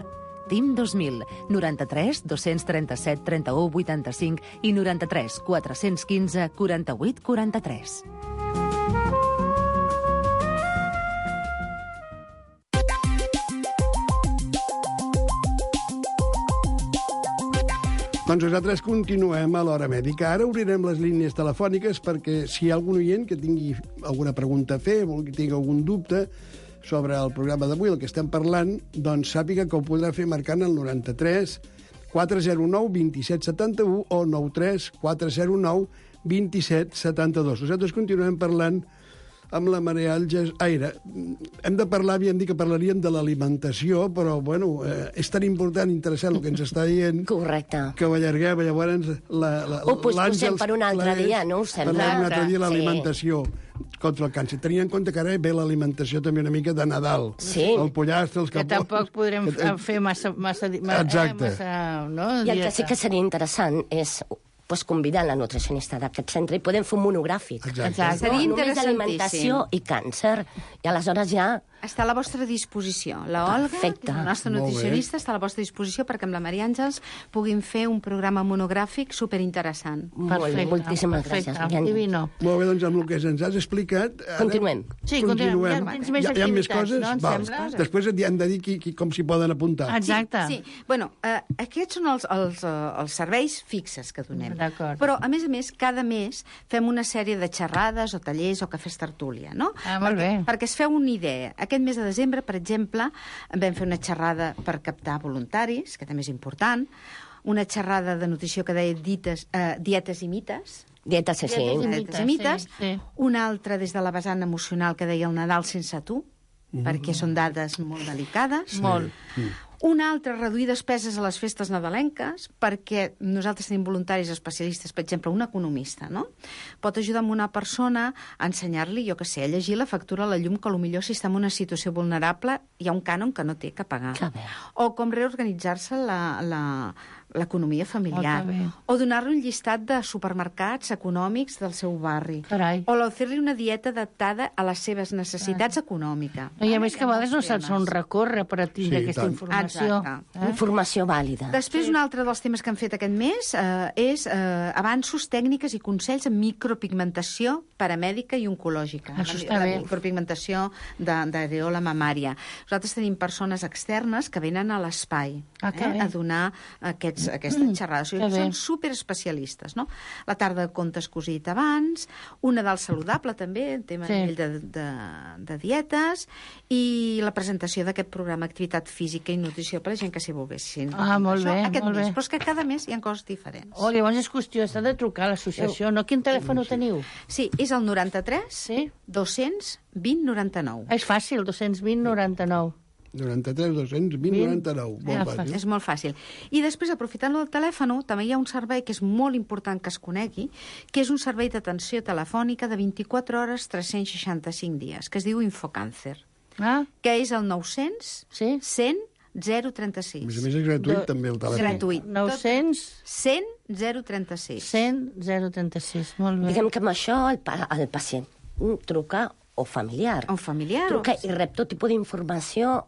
Team dos mil, noranta-tres dos-cents trenta-set trenta-u vuitanta-cinc i noranta-tres quatre-cents quinze quaranta-vuit quaranta-tres. Doncs nosaltres continuem a l'Hora Mèdica. Ara obrirem les línies telefòniques perquè si hi ha algun oient que tingui alguna pregunta a fer, que tingui algun dubte sobre el programa d'avui, el que estem parlant, doncs sàpiga que ho podrà fer marcant el noranta-tres quatre zero nou vint-i-set setanta-u o nou tres quatre zero nou vint-i-set setanta-dos. Nosaltres continuem parlant amb la Maria Àngels Aire. Hem de parlar, havíem dit que parlaríem de l'alimentació, però, bueno, eh, és tan important, interessant el que ens està dient... Correcte. Que ho allarguem, llavors... La, la, Ho posposem per un altre dia, no us sembla? Per un altre dia l'alimentació Sí. contra el càncer. Tenint en compte que ara ve l'alimentació també una mica de Nadal. Sí. El pollastre, els Que capons... tampoc podrem que- fer massa... massa, massa Exacte. Eh, massa no? I el que sí Dieta. que seria interessant és pues, convidar la nutricionista d'aquest centre i podem fer un monogràfic. Exacte. Exacte. Seria No, només interessantíssim. alimentació i càncer. I aleshores ja... Està a la vostra disposició. La Olga, Perfecte. que és la nostra Molt bé. nutricionista, està a la vostra disposició perquè amb la Maria Àngels puguin fer un programa monogràfic superinteressant. Molt bé, moltíssimes perfecte, gràcies, Mariana. Divino. Molt bé, doncs amb el que ens has explicat... Ara Continuem. Sí, continuem. Ja tens més hi ha, hi ha més activitats, coses? no, em Val. sembla? Després et han de dir qui, qui, com s'hi poden apuntar. Exacte. Sí, bueno, eh, aquests són els, els, eh, els serveis fixes que donem. D'acord. Però, a més a més, cada mes fem una sèrie de xerrades o tallers o cafès tertúlia, no? Ah, molt bé. Perquè es feu una idea. Aquest mes de desembre, per exemple, vam fer una xerrada per captar voluntaris, que també és important, una xerrada de nutrició que deia dites, eh, dietes i mites, Dieta, sí, sí. Dietes i dietes i mites, sí, sí. una altra des de la vessant emocional que deia el Nadal sense tu, mm. perquè són dades molt delicades. Molt. Una altra, reduir despeses a les festes nadalenques, perquè nosaltres tenim voluntaris especialistes, per exemple, un economista, no? Pot ajudar amb una persona a ensenyar-li, jo que sé, a llegir la factura a la llum, que potser si està en una situació vulnerable hi ha un cànon que no té que pagar. Que bé. O com reorganitzar-se la, la, l'economia familiar. Oh, que bé. O donar-li un llistat de supermercats econòmics del seu barri. Carai. O fer-li una dieta adaptada a les seves necessitats econòmiques. No, I a més que a vegades no saps on recórrer per a tindre Sí, aquesta tant. informació. Exacte. Eh? Informació vàlida. Després, un altre dels temes que han fet aquest mes eh, és eh, avanços, tècniques i consells en micropigmentació paramèdica i oncològica. Això La- està la bé. micropigmentació de- d'areola mamària. Nosaltres tenim persones externes que venen a l'espai Ah, que eh, bé. a donar aquests aquests, aquestes Mm, xerrades. O que sigui, bé. són superespecialistes, no? La tarda de contes que us he dit abans, una del saludable també, en tema Sí. sí. de, de, de dietes, i la presentació d'aquest programa Activitat Física i Nutrició per a la gent que s'hi volguessin. Ah, molt Això, bé, aquest molt mes. bé. Però és que cada mes hi ha coses diferents. Oh, llavors és qüestió, s'ha de trucar a l'associació, no? Quin telèfon teniu? Sí, és el noranta-tres Sí? dos-cents vint noranta-nou. És fàcil, dos cents vint noranta-nou. noranta-tres dos-cents vint noranta-nou. Ah, Molt fàcil. És molt fàcil. I després, aprofitant-lo del telèfon, també hi ha un servei que és molt important que es conegui, que és un servei d'atenció telefònica de vint-i-quatre hores, tres-cents seixanta-cinc dies, que es diu Infocàncer, Ah, que és el nou-cents sí? cent zero A trenta-sis. més a més és gratuït, Do- també, el telèfon. Gratuït. nou-cents cent zero trenta-sis. cent zero trenta-sis. Molt bé. Diguem que amb això el, pa el pacient truca o familiar. O familiar. Truca o... i rep tot tipus d'informació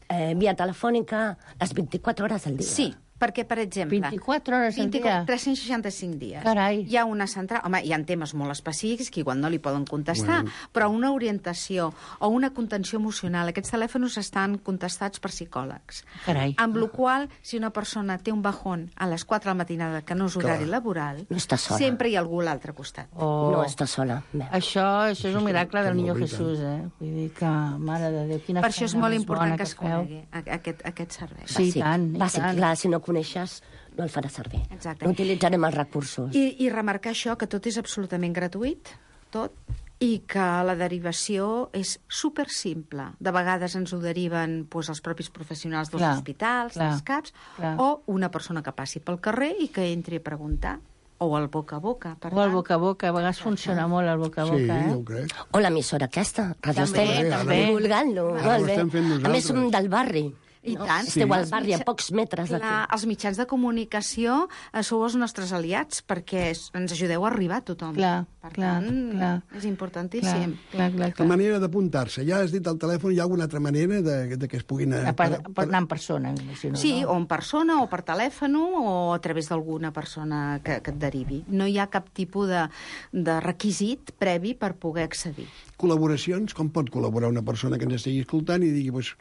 eh, via telefònica les vint-i-quatre hores al dia. Sí, perquè, per exemple... vint-i-quatre hores al dia? tres-cents seixanta-cinc dies. Carai. Hi ha una central... Home, hi ha temes molt específics que igual no li poden contestar, bueno. però una orientació o una contenció emocional, aquests telèfons estan contestats per psicòlegs. Carai. Amb la qual cosa, si una persona té un bajón a les quatre de la matinada, que no és horari Clar. laboral, No està sola. sempre hi ha algú a l'altre costat. Oh. No està sola. Bé. Això, això és un miracle del que Niño molt, i Jesús, eh? Vull dir que, mare de Déu, quina Per això és feina molt més important bona que es feu. conegui a- aquest, aquest servei. Sí, i tant, i bàsic, tant. clar, si no coneixes, no el farà servir. Exacte. No utilitzarem els recursos. I, I remarcar això, que tot és absolutament gratuït, tot, i que la derivació és super simple. De vegades ens ho deriven doncs, els propis professionals dels Clar, hospitals, clar, dels CAPs, clar. o una persona que passi pel carrer i que entri a preguntar, o el boca a boca. Per O el tant, boca a boca, a vegades funciona molt el boca a Sí, boca, ja eh? ho crec. O l'emissora aquesta, Radio També, Estel, també. divulgant-lo. Ara ho Molt bé. estem fent A més, nosaltres. som del barri. I no? tant. Esteu Sí. al barri, a pocs metres Clar, d'aquí. els mitjans de comunicació eh, sou els nostres aliats perquè es- ens ajudeu a arribar a tothom. Clar, per clar, tant, clar. és Clar, importantíssim. clar, clar, La clar. manera d'apuntar-se. Ja has dit al telèfon, hi ha alguna altra manera de, de que es puguin... A per, per anar en persona, m'imagino. Sí, no? o en persona, o per telèfon, o a través d'alguna persona que, que et derivi. No hi ha cap tipus de, de requisit previ per poder accedir. Col·laboracions, com pot col·laborar una persona que ens estigui escoltant i digui pues,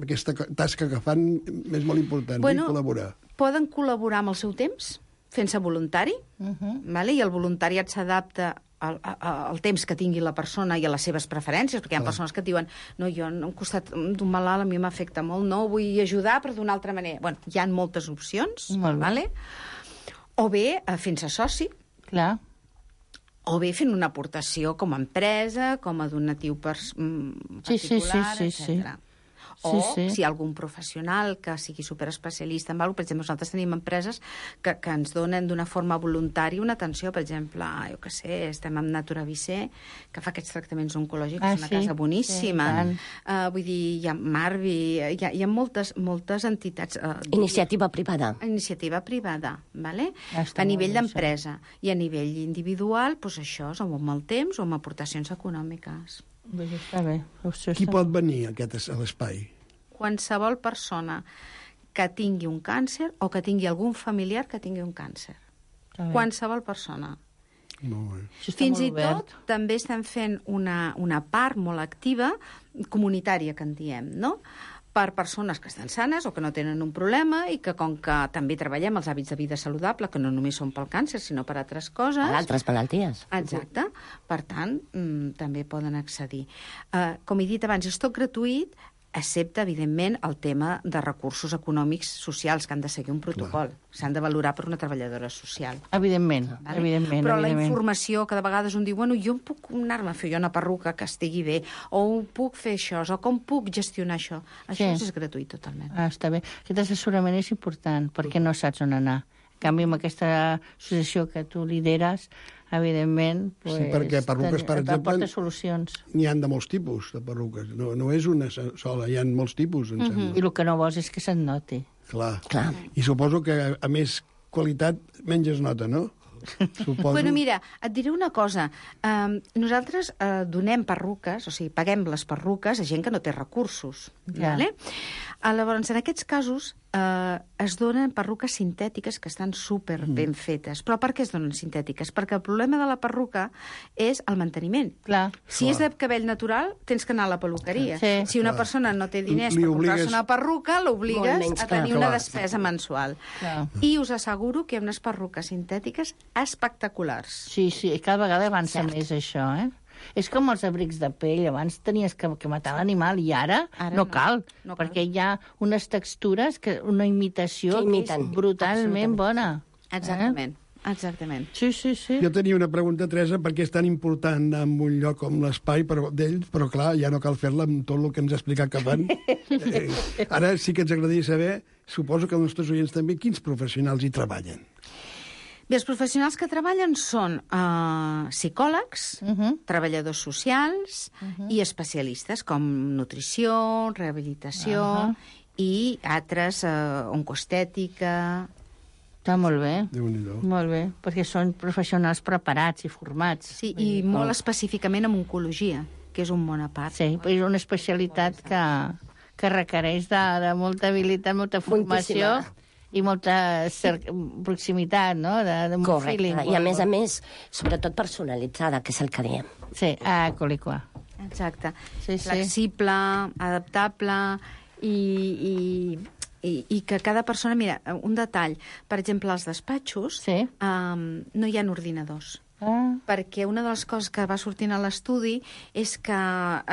aquesta co- tasca que fan és molt important, Bueno, vull col·laborar. Poden col·laborar amb el seu temps, fent-se voluntari, uh -huh. vale? I el voluntariat s'adapta al, a- al temps que tingui la persona i a les seves preferències, perquè hi ha persones que et diuen no, jo a un costat d'un malalt a mi m'afecta molt, no vull ajudar, però d'una altra manera. Bueno, hi ha moltes opcions, Molt bé. vale? O bé eh, fent-se soci, Clar. o bé fent una aportació com a empresa, com a donatiu pers mm, Sí, sí, sí, particular, sí, sí. etcètera. O Sí, sí. si hi ha algun professional que sigui superespecialista en alguna cosa, per exemple, nosaltres tenim empreses que, que ens donen d'una forma voluntària una atenció, per exemple, jo què sé, estem amb Natura Vicé, que fa aquests tractaments oncològics, Ah, és una sí, casa boníssima. sí, i uh, vull dir, hi ha Marvi, hi ha, hi ha moltes, moltes entitats... Uh, Iniciativa privada. iniciativa privada, vale? Ja està a nivell molt bé, d'empresa. I a nivell individual, doncs això, o amb el temps o amb aportacions econòmiques. Doncs està bé. Això Qui està pot venir a aquest a l'espai? Qualsevol persona que tingui un càncer o que tingui algun familiar que tingui un càncer. Està bé. Qualsevol persona. Molt bé. Això està Fins molt i obert. tot també estem fent una, una part molt activa, comunitària, que en diem, no?, per persones que estan sanes o que no tenen un problema i que, com que també treballem els hàbits de vida saludable, que no només són pel càncer, sinó per altres coses... Per altres malalties. Exacte. Per tant, mm, també poden accedir. Uh, com he dit abans, és tot gratuït, excepte, evidentment, el tema de recursos econòmics socials, que han de seguir un protocol. S'han de valorar per una treballadora social. Evidentment, Vale? evidentment. Però la evidentment. informació, que de vegades un diu, bueno, jo em puc anar-me a fer jo una perruca que estigui bé, o puc fer això, o com puc gestionar això. Això Sí. és gratuït totalment. Ah, està bé. Aquest assessorament és important, perquè no saps on anar. En canvi, amb aquesta associació que tu lideres, evidentment... Pues, Sí, perquè perruques, per ten- exemple, aporta solucions. N'hi han de molts tipus, de perruques. No, no és una sola, hi ha molts tipus, em sembla. I el que no vols és que se't noti. Clar. Clar. I suposo que, a més qualitat, menys es nota, no? Suposo. Bueno, mira, et diré una cosa. Um, nosaltres uh, donem perruques, o sigui, paguem les perruques a gent que no té recursos. Ja. Vale? Uh, llavors, en aquests casos, eh, es donen perruques sintètiques que estan super ben fetes. Però per què es donen sintètiques? Perquè el problema de la perruca és el manteniment. Clar. Si és de cabell natural, tens que anar a la peluqueria. Sí. Si una persona no té diners Li per comprar-se obligues- una perruca, l'obligues Molt menys, a tenir clar. una Clar. despesa mensual. Clar. I us asseguro que hi ha unes perruques sintètiques espectaculars. Sí, sí, i cada vegada avança més això, eh? És com els abrics de pell. Abans tenies que, que matar l'animal i ara, Ara no, no. cal, No cal. perquè hi ha unes textures, que una imitació Que que és imiten, brutalment absolutament. bona. Exactament. Exactament. Sí, sí, sí. Jo tenia una pregunta, Teresa, perquè és tan important anar en un lloc com l'espai per- d'ells, però clar, ja no cal fer-la amb tot el que ens ha explicat que fan. Eh, ara sí que ens agradaria saber, suposo que els nostres oients també, quins professionals hi treballen. Bé, els professionals que treballen són uh, psicòlegs, Uh -huh. treballadors socials i especialistes com nutrició, rehabilitació Ahà. i altres, uh, oncoestètica... Està molt bé. Déu-n'hi-do. Molt bé, perquè són professionals preparats i formats. Sí, i molt específicament en oncologia, que és un món a part. Sí, però és una especialitat que, que requereix de, de molta habilitat, molta formació Moltíssima. i molta cer proximitat, no? De, de un Correcte. feeling. I a més a més, sobretot personalitzada, que és el que diem. Sí, ah, colicua. Exacte. Sí, sí. Flexible, adaptable i, i, i, i que cada persona... Mira, un detall. Per exemple, als despatxos Sí. um, no hi ha ordinadors. Ah, Perquè una de les coses que va sortint a l'estudi és que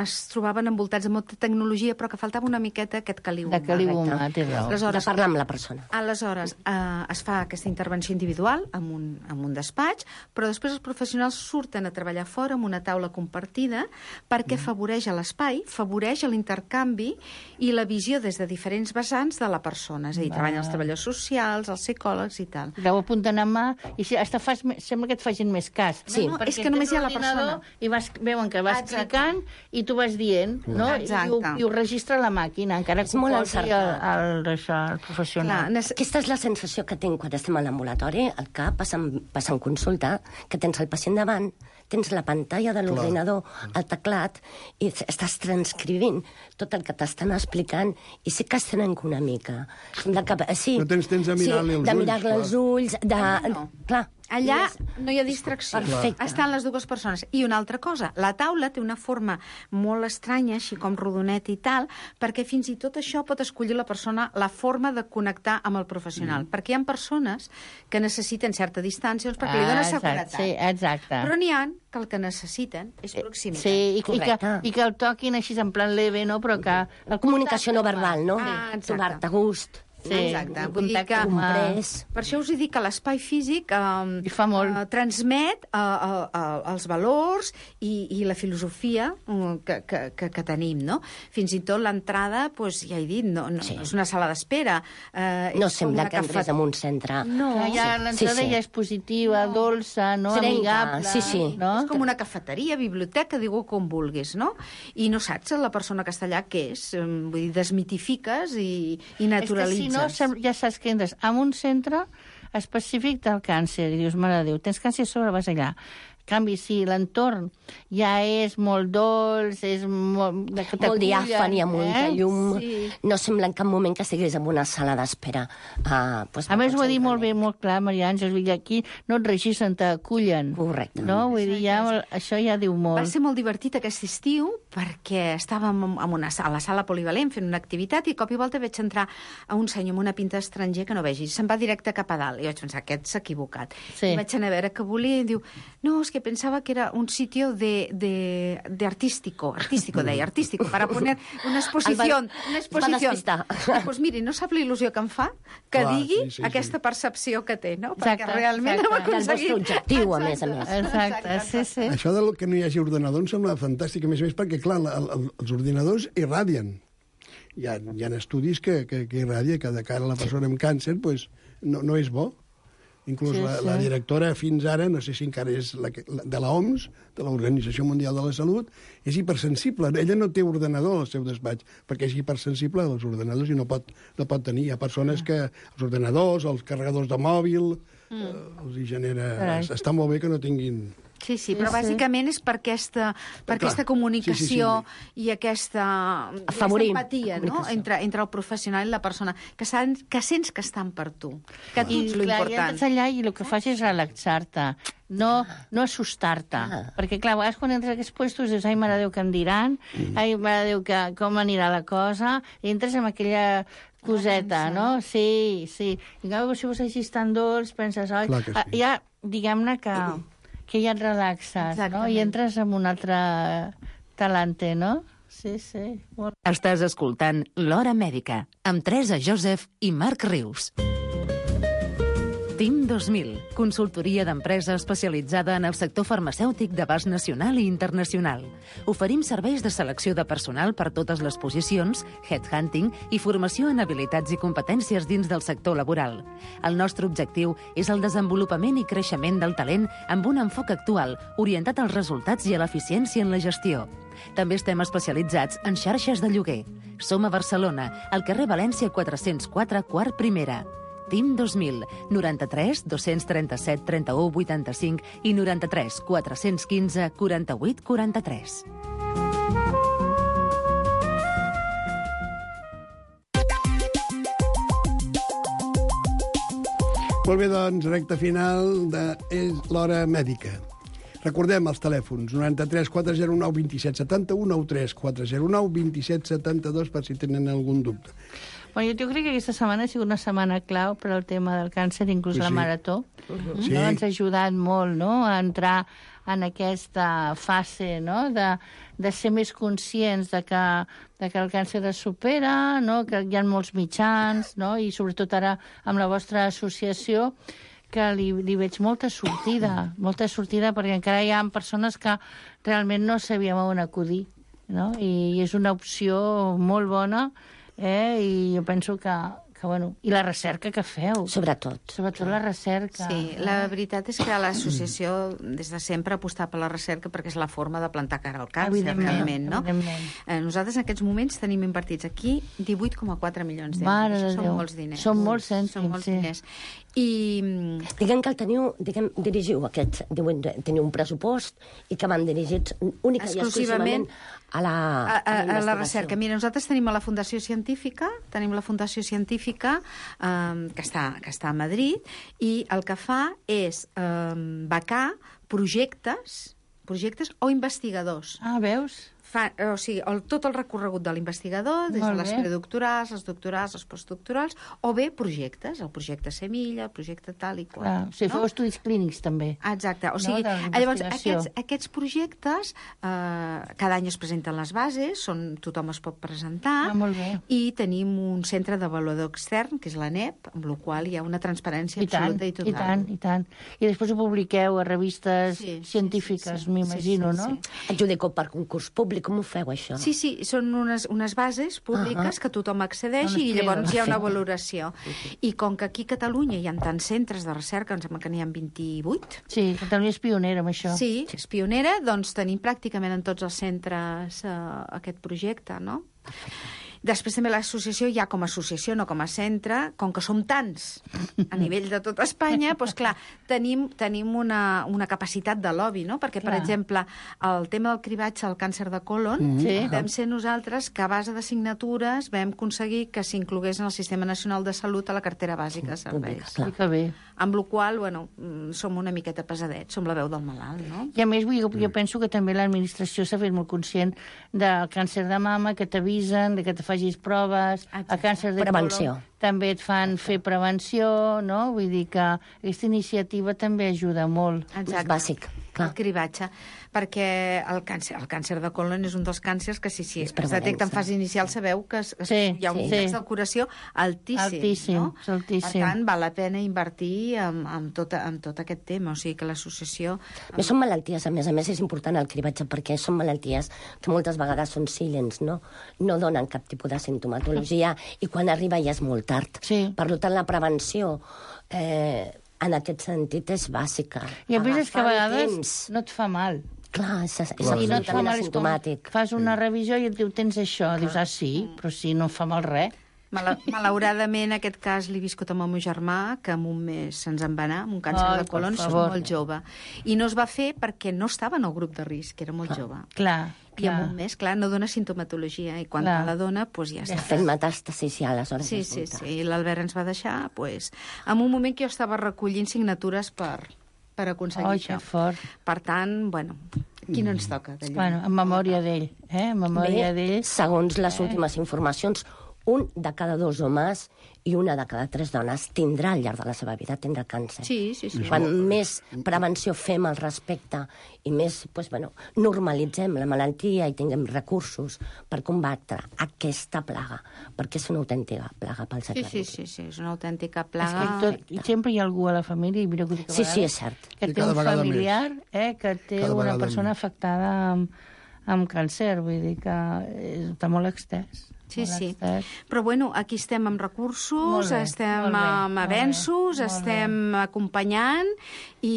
es trobaven envoltats de molta tecnologia, però que faltava una miqueta aquest caliu de caliu Correcte. humà, té raó. De Aleshores, parlar amb la persona. Aleshores, eh, es fa aquesta intervenció individual en un, en un despatx, però després els professionals surten a treballar fora amb una taula compartida perquè afavoreix a l'espai, afavoreix l'intercanvi i la visió des de diferents vessants de la persona. És a dir, treballen els treballadors socials, els psicòlegs i tal. Ho apunten a mà i si, hasta fas, me- sembla que et facin més cas. Sí. No, no, Perquè és que només tens hi ha la l'ordinador persona. I vas, veuen que vas Exacte. clicant i tu vas dient, no? I, Exacte. ho, I ho registra la màquina, encara És que ho molt posi el, encertat. el, això, el professional. Clar, nece- Aquesta és la sensació que tinc quan estem a l'ambulatori, al cap, passant, passant consulta, que tens el pacient davant, tens la pantalla de l'ordinador, el teclat, i estàs transcrivint tot el que t'estan explicant, i sí que es trenca una mica. De que, sí, No tens temps de mirar-li sí, els de ulls, mirar-li clar. els ulls, de... Allà no. Clar. Allà I és- no hi ha distracció. Perfecte. Estan les dues persones. I una altra cosa, la taula té una forma molt estranya, així com rodonet i tal, perquè fins i tot això pot escollir la persona la forma de connectar amb el professional. Mm. Perquè hi ha persones que necessiten certa distància doncs, perquè li dona Ah, exacte, seguretat. sí, exacte. Però n'hi ha que el que necessiten és proximitat. Sí, i, i, que, Correcte. i que el toquin així en plan leve, no? Però que... El Comunicació no verbal, no? Ah, exacte. Trobar-te a gust. Sí, Exacte. un Vull dir contacte que, humà. comprès. per això us he dit que l'espai físic eh, I fa molt. eh, transmet eh, eh, eh, els valors i, i la filosofia eh, que, que, que, que tenim, no? Fins i tot l'entrada, doncs, ja he dit, no, no, Sí. no és una sala d'espera. Eh, No és com sembla una que entres cafet- en un centre. No, Que ja Sí, l'entrada sí. ja és positiva, dolça, no? Serenca, Amigable. sí, sí. No? és com una cafeteria, biblioteca, digue-ho com vulguis, no? I no saps la persona que està allà què és. Eh, Vull dir, desmitifiques i, i naturalitzes. És que si no, sem- ja saps que entres en un centre específic del càncer i dius, mare de Déu, tens càncer a sobre, vas allà. En canvi, si l'entorn ja és molt dolç, és molt... De, que Molt t'acullen, diàfan, hi ha molta eh? llum. Sí. No sembla en cap moment que estiguis en una sala d'espera. Uh, pues, A més, ho ha dit molt bé, molt clar, Maria Àngels, vull dir, aquí no et registren, t'acullen. Correcte. No? Vull dir, ja, això ja diu molt. Va ser molt divertit aquest estiu perquè estàvem en una, a la sala polivalent fent una activitat i de cop i volta veig entrar a un senyor amb una pinta estranger que no vegis. Se'n va directe cap a dalt. I vaig pensar, aquest s'ha equivocat. Sí. I vaig anar a veure què volia i diu, no, és que pensava que era un sitio de, de, de artístico, artístico, deia, artístico, para poner una exposición. El va- Una es va exposición. despistar. Doncs pues miri, no sap la il·lusió que em fa que Clar, digui sí, sí, sí. aquesta percepció que té, no? Exacte, Perquè realment exacte. hem Del aconseguit... vostre objectiu, a més a més. Exacte, sí, sí. Això del que no hi hagi ordinador em sembla fantàstic, a més a més, perquè, clar, la, el, els ordinadors irradien. Hi ha, hi ha estudis que, que, que irradia, que de cara a la persona amb càncer pues, no, no és bo. Inclús Sí, la, sí. la directora fins ara, no sé si encara és la, que- la, de l'O M S, de l'Organització Mundial de la Salut, és hipersensible. Ella no té ordenador al seu despatx, perquè és hipersensible als ordenadors i no pot, no pot tenir. Hi ha persones que els ordenadors, els carregadors de mòbil, mm. eh, els hi genera... Carai. Està molt bé que no tinguin Sí, sí, però bàsicament és per aquesta, per aquesta comunicació sí, sí, sí. i aquesta, Afavorir. aquesta empatia, no? entre, entre el professional i la persona, que, saben, que sents que estan per tu, que tu ets l'important. I entres allà i el que fas és relaxar-te, no, no assustar-te. Ah. Perquè, clar, a vegades quan entres a aquests puestos dius, ai, mare Déu, què em diran? Mm. Ai, mare Déu, que, com anirà la cosa? I entres amb aquella coseta, no? Sí, sí. I en canvi, si vos així tan dolç, penses, oi, sí. ja, diguem-ne que... que ja et relaxes, no? I entres en un altre talante, no? Sí, sí. Molt... Estàs escoltant L'Hora Mèdica, amb Teresa Joseph i Marc Rius. TIM dos mil, consultoria d'empresa especialitzada en el sector farmacèutic d'abast nacional i internacional. Oferim serveis de selecció de personal per totes les posicions, headhunting i formació en habilitats i competències dins del sector laboral. El nostre objectiu és el desenvolupament i creixement del talent amb un enfoc actual, orientat als resultats i a l'eficiència en la gestió. També estem especialitzats en xarxes de lloguer. Som a Barcelona, al carrer València quatre-cents quatre, quart primera. TIM dos mil, noranta-tres dos-cents trenta-set trenta-u vuitanta-cinc i noranta-tres quatre-cents quinze quaranta-vuit quaranta-tres. Molt bé, doncs, recta final de És l'Hora Mèdica. Recordem els telèfons, noranta-tres quatre zero nou vint set setanta-u, noranta-tres quatre zero nou vint set setanta-dos, per si tenen algun dubte. Bueno, jo crec que aquesta setmana ha sigut una setmana clau per al tema del càncer, inclús sí, la marató. Uh-huh. Sí. No? Ens ha ajudat molt, no?, a entrar en aquesta fase, no?, de, de ser més conscients de que, de que el càncer es supera, no?, que hi ha molts mitjans, no?, i sobretot ara amb la vostra associació, que li, li veig molta sortida, molta sortida, perquè encara hi ha persones que realment no sabíem on acudir, no?, i és una opció molt bona. Eh? I jo penso que, que, bueno, i la recerca que feu. Sobretot. Sobretot la recerca. Sí, la veritat és que l'associació des de sempre ha apostat per la recerca perquè és la forma de plantar cara al càncer, realment, no? Eh, nosaltres en aquests moments tenim invertits aquí divuit coma quatre milions d'euros. Mare de Són Déu. molts diners. Són molts cèntims, Són molts sí. diners. I... Diguem que el teniu, diguem, dirigiu aquest, diuen, teniu un pressupost i que van dirigits única i exclusivament a la, a, a, a la recerca. Mira, nosaltres tenim a la Fundació Científica, tenim la Fundació Científica eh, que, està, que està a Madrid, i el que fa és eh, becar projectes, projectes o investigadors. Ah, veus? Fa, o sigui, el, tot el recorregut de l'investigador, des de les predoctorals, les doctorals, els postdoctorals, o bé projectes, el projecte Semilla, el projecte tal i qual. Clar, o sigui, no? feu estudis clínics, també. Exacte. O sigui, no? llavors, aquests, aquests projectes, eh, cada any es presenten les bases, són, tothom es pot presentar, ah, molt bé. I tenim un centre d'avaluador extern, que és l'A N E P, amb la qual hi ha una transparència I tant, absoluta i total. I tant, i tant. I després ho publiqueu a revistes sí, científiques, sí, sí, sí. m'imagino, sí, sí, sí. no? Adjudiceu per concurs públic, com ho feu, això? Sí, sí, són unes, unes bases públiques uh -huh. que tothom accedeix no, i llavors hi ha una valoració. I com que aquí a Catalunya hi ha tants centres de recerca, em sembla que n'hi ha vint-i-vuit. Sí, Catalunya és pionera amb això. Sí, és pionera, doncs tenim pràcticament en tots els centres uh, aquest projecte, no? Després també l'associació, ja com a associació, no com a centre, com que som tants a nivell de tot Espanya, doncs clar, tenim, tenim una, una capacitat de lobby, no? Perquè, clar. Per exemple, el tema del cribatge al càncer de colon, mm -hmm. sí. vam ser nosaltres que a base de signatures vam aconseguir que s'inclogués en el Sistema Nacional de Salut a la cartera bàsica de serveis. Sí, que bé. Amb la qual cosa, bueno, som una miqueta pesadets, som la veu del malalt, no? I a més, jo, jo penso que també l'administració s'ha fet molt conscient del càncer de mama, que t'avisen, que te facis proves, exacte. A càncer de prevenció. colon també et fan fer prevenció, no? Vull dir que aquesta iniciativa també ajuda molt. Exacte. És bàsic, clar. El cribatge, perquè el càncer, el càncer de colon és un dels càncers que si, si es detecta en fase inicial sabeu que es, sí, hi ha un sí. índex de curació altíssim, altíssim, no? altíssim. Per tant, val la pena invertir en, en, tot, en tot aquest tema, o sigui que l'associació... Més són malalties, a més a més és important el cribatge perquè són malalties que moltes vegades són silents, no? No donen cap tipus de sintomatologia i quan arriba ja és molt tard. Sí. Per tant, la prevenció eh, en aquest sentit és bàsica. I a més és que a vegades temps. no et fa mal. Clar, és, és Clar, absolutament no et fa mal, asimptomàtic. Fas una revisió i et diu, tens això. Clar. Dius, ah, sí, però sí, no fa mal res. Mala, malauradament, aquest cas l'he viscut amb el meu germà, que en un mes se'ns en va anar, amb un càncer Ai, de colon, per és favor. molt jove. I no es va fer perquè no estava en el grup de risc, era molt jove. Clar, I clar. en un mes, clar, no dona sintomatologia, i quan Clar. te la dona, doncs ja està. Fent metàstasis ja, aleshores. Sí, és sí, brutal. sí. I l'Albert ens va deixar, doncs, en un moment que jo estava recollint signatures per, per aconseguir Ai, això. que fort. Per tant, bueno, qui no ens toca d'allò? Bueno, en memòria d'ell, eh? En memòria Bé, d'ell. segons les últimes informacions, un de cada dos homes i una de cada tres dones tindrà al llarg de la seva vida tindrà càncer. Sí, sí, sí. Quan més prevenció fem al respecte i més pues, bueno, normalitzem la malaltia i tinguem recursos per combatre aquesta plaga, perquè és una autèntica plaga pel Sí, segle sí, vint u. sí, sí, és una autèntica És plaga. que tot, i sempre hi ha algú a la família, i mira que ho dic a Sí, sí, vegades, és cert. que I té cada un vegada familiar eh, que té Cada una vegada persona més. afectada amb, amb càncer, vull dir que eh, està molt extès. Sí, molt sí. extès. Però bueno, aquí estem amb recursos, Molt bé, estem molt bé, amb molt avenços, bé, molt estem acompanyant i,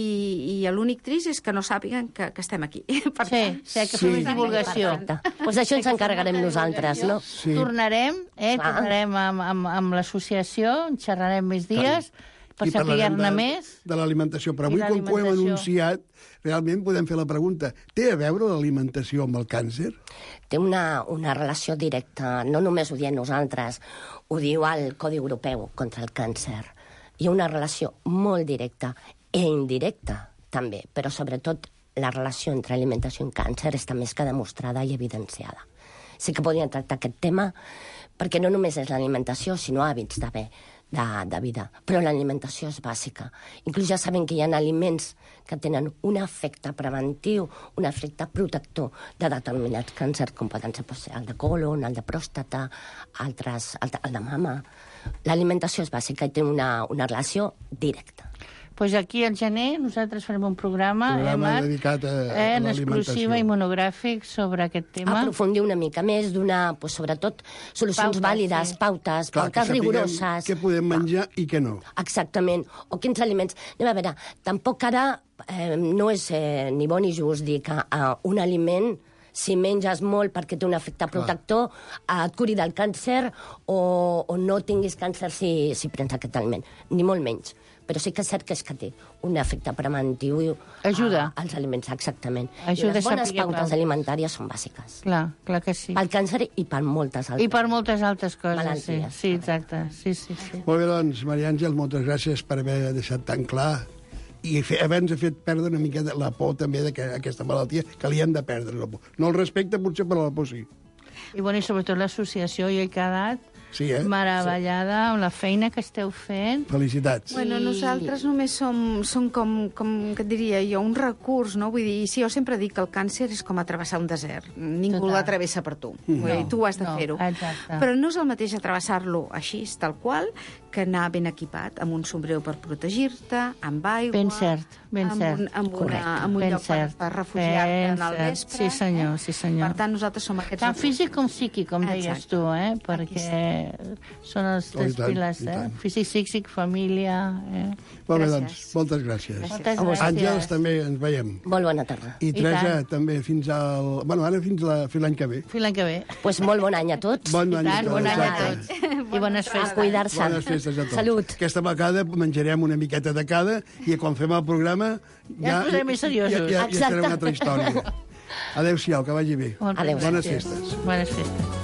i l'únic trist és que no sàpiguen que, que estem aquí. Per Sí, tant, sí, que Sí. fem més divulgació. Perfecte. Doncs d'això ens encarregarem nosaltres, no? Sí. Tornarem, eh, Clar. tornarem amb, amb, amb l'associació, en xerrarem més dies, per I parlarem saber-ne de- més. de l'alimentació. Però I avui, com que ho hem l'alimentació. anunciat, realment podem fer la pregunta: té a veure l'alimentació amb el càncer? Té una, una relació directa, no només ho diem nosaltres, ho diu el Codi Europeu contra el càncer. Hi ha una relació molt directa i indirecta, també, però sobretot la relació entre alimentació i càncer està més que demostrada i evidenciada. Sí que podríem tractar aquest tema, perquè no només és l'alimentació, sinó hàbits de bé, de, de vida. Però l'alimentació és bàsica. Inclús ja sabem que hi ha aliments que tenen un efecte preventiu, un efecte protector de determinats càncers, com poden ser pues, el de colon, el de pròstata, altres, el de, el de mama. L'alimentació és bàsica i té una, una relació directa. Pues aquí al gener nosaltres farem un programa, Programa eh, Marc? dedicat a- a eh, en l'alimentació. exclusiva i monogràfic sobre aquest tema. Aprofundir una mica més, donar, pues, sobretot, solucions Pautes, vàlides, sí. pautes, Clar, que pautes sapiguem rigoroses. què podem menjar i què no. Exactament. O quins aliments... Anem a veure, tampoc ara eh, no és eh, ni bo ni just dir que eh, un aliment, si menges molt perquè té un efecte protector, eh, et curi del càncer o, o no tinguis càncer si, si prens aquest aliment. Ni molt menys. Però sí que és cert que és que té un efecte preventiu i, Ajuda. als aliments, exactament. Ajuda I les a bones saber pautes pautes. alimentàries són bàsiques. Clar, clar que sí. Pel càncer i per moltes altres. I per moltes altres coses, sí. Malalties. Sí, exacte. Sí, sí, sí. Molt bé, doncs, Maria Àngel, moltes gràcies per haver deixat tan clar i fer, haver-nos fet perdre una mica de la por també d'aquesta malaltia, que li hem de perdre la por. No el respecte, potser, però la por sí. I, bueno, i sobretot l'associació, jo he quedat Sí, eh? meravellada amb la feina que esteu fent. Felicitats. Bueno, nosaltres només som, som com, com que et diria jo, un recurs, no? Vull dir, sí, jo sempre dic que el càncer és com atrevessar un desert. Ningú Total. l'atravessa per tu. Vull dir, tu has de no, fer-ho. exacte. Però no és el mateix atrevessar-lo així, tal qual, que anar ben equipat, amb un sombrero per protegir-te, amb aigua... Ben cert, ben amb cert. Un, amb, una, amb un Ben lloc per, cert. per refugiar-te Ben en el cert. vespre. Sí, senyor, eh? sí, senyor. Per tant, nosaltres som aquests... Tant recursos. físic com psíquic, com deies Exacte. tu, eh? Aquí Perquè són els Oh, i tres tant, pilars, i eh? tant. Físic, psíquic, família... Eh? Molt bé, Gràcies. doncs, moltes gràcies. Moltes A vosaltres. Àngels, també ens veiem. Molt bona tarda. I I Teresa, tant. també, fins al... Bueno, ara fins la- fins l'any que ve. Fins l'any que ve. Pues molt bon any a tots. Bon I any tant, a tots. bon any a exacte. tots. I bones A festes. cuidar-se. Bones festes a tots. Salut. Aquesta vegada menjarem una miqueta de cada i quan fem el programa Ja ens posarem més seriosos. Ja, ja, ja serà Exacte. una altra història. Adéu-siau, que vagi bé. Molt bé. Adéu. Bones Gràcies. festes. Bones festes.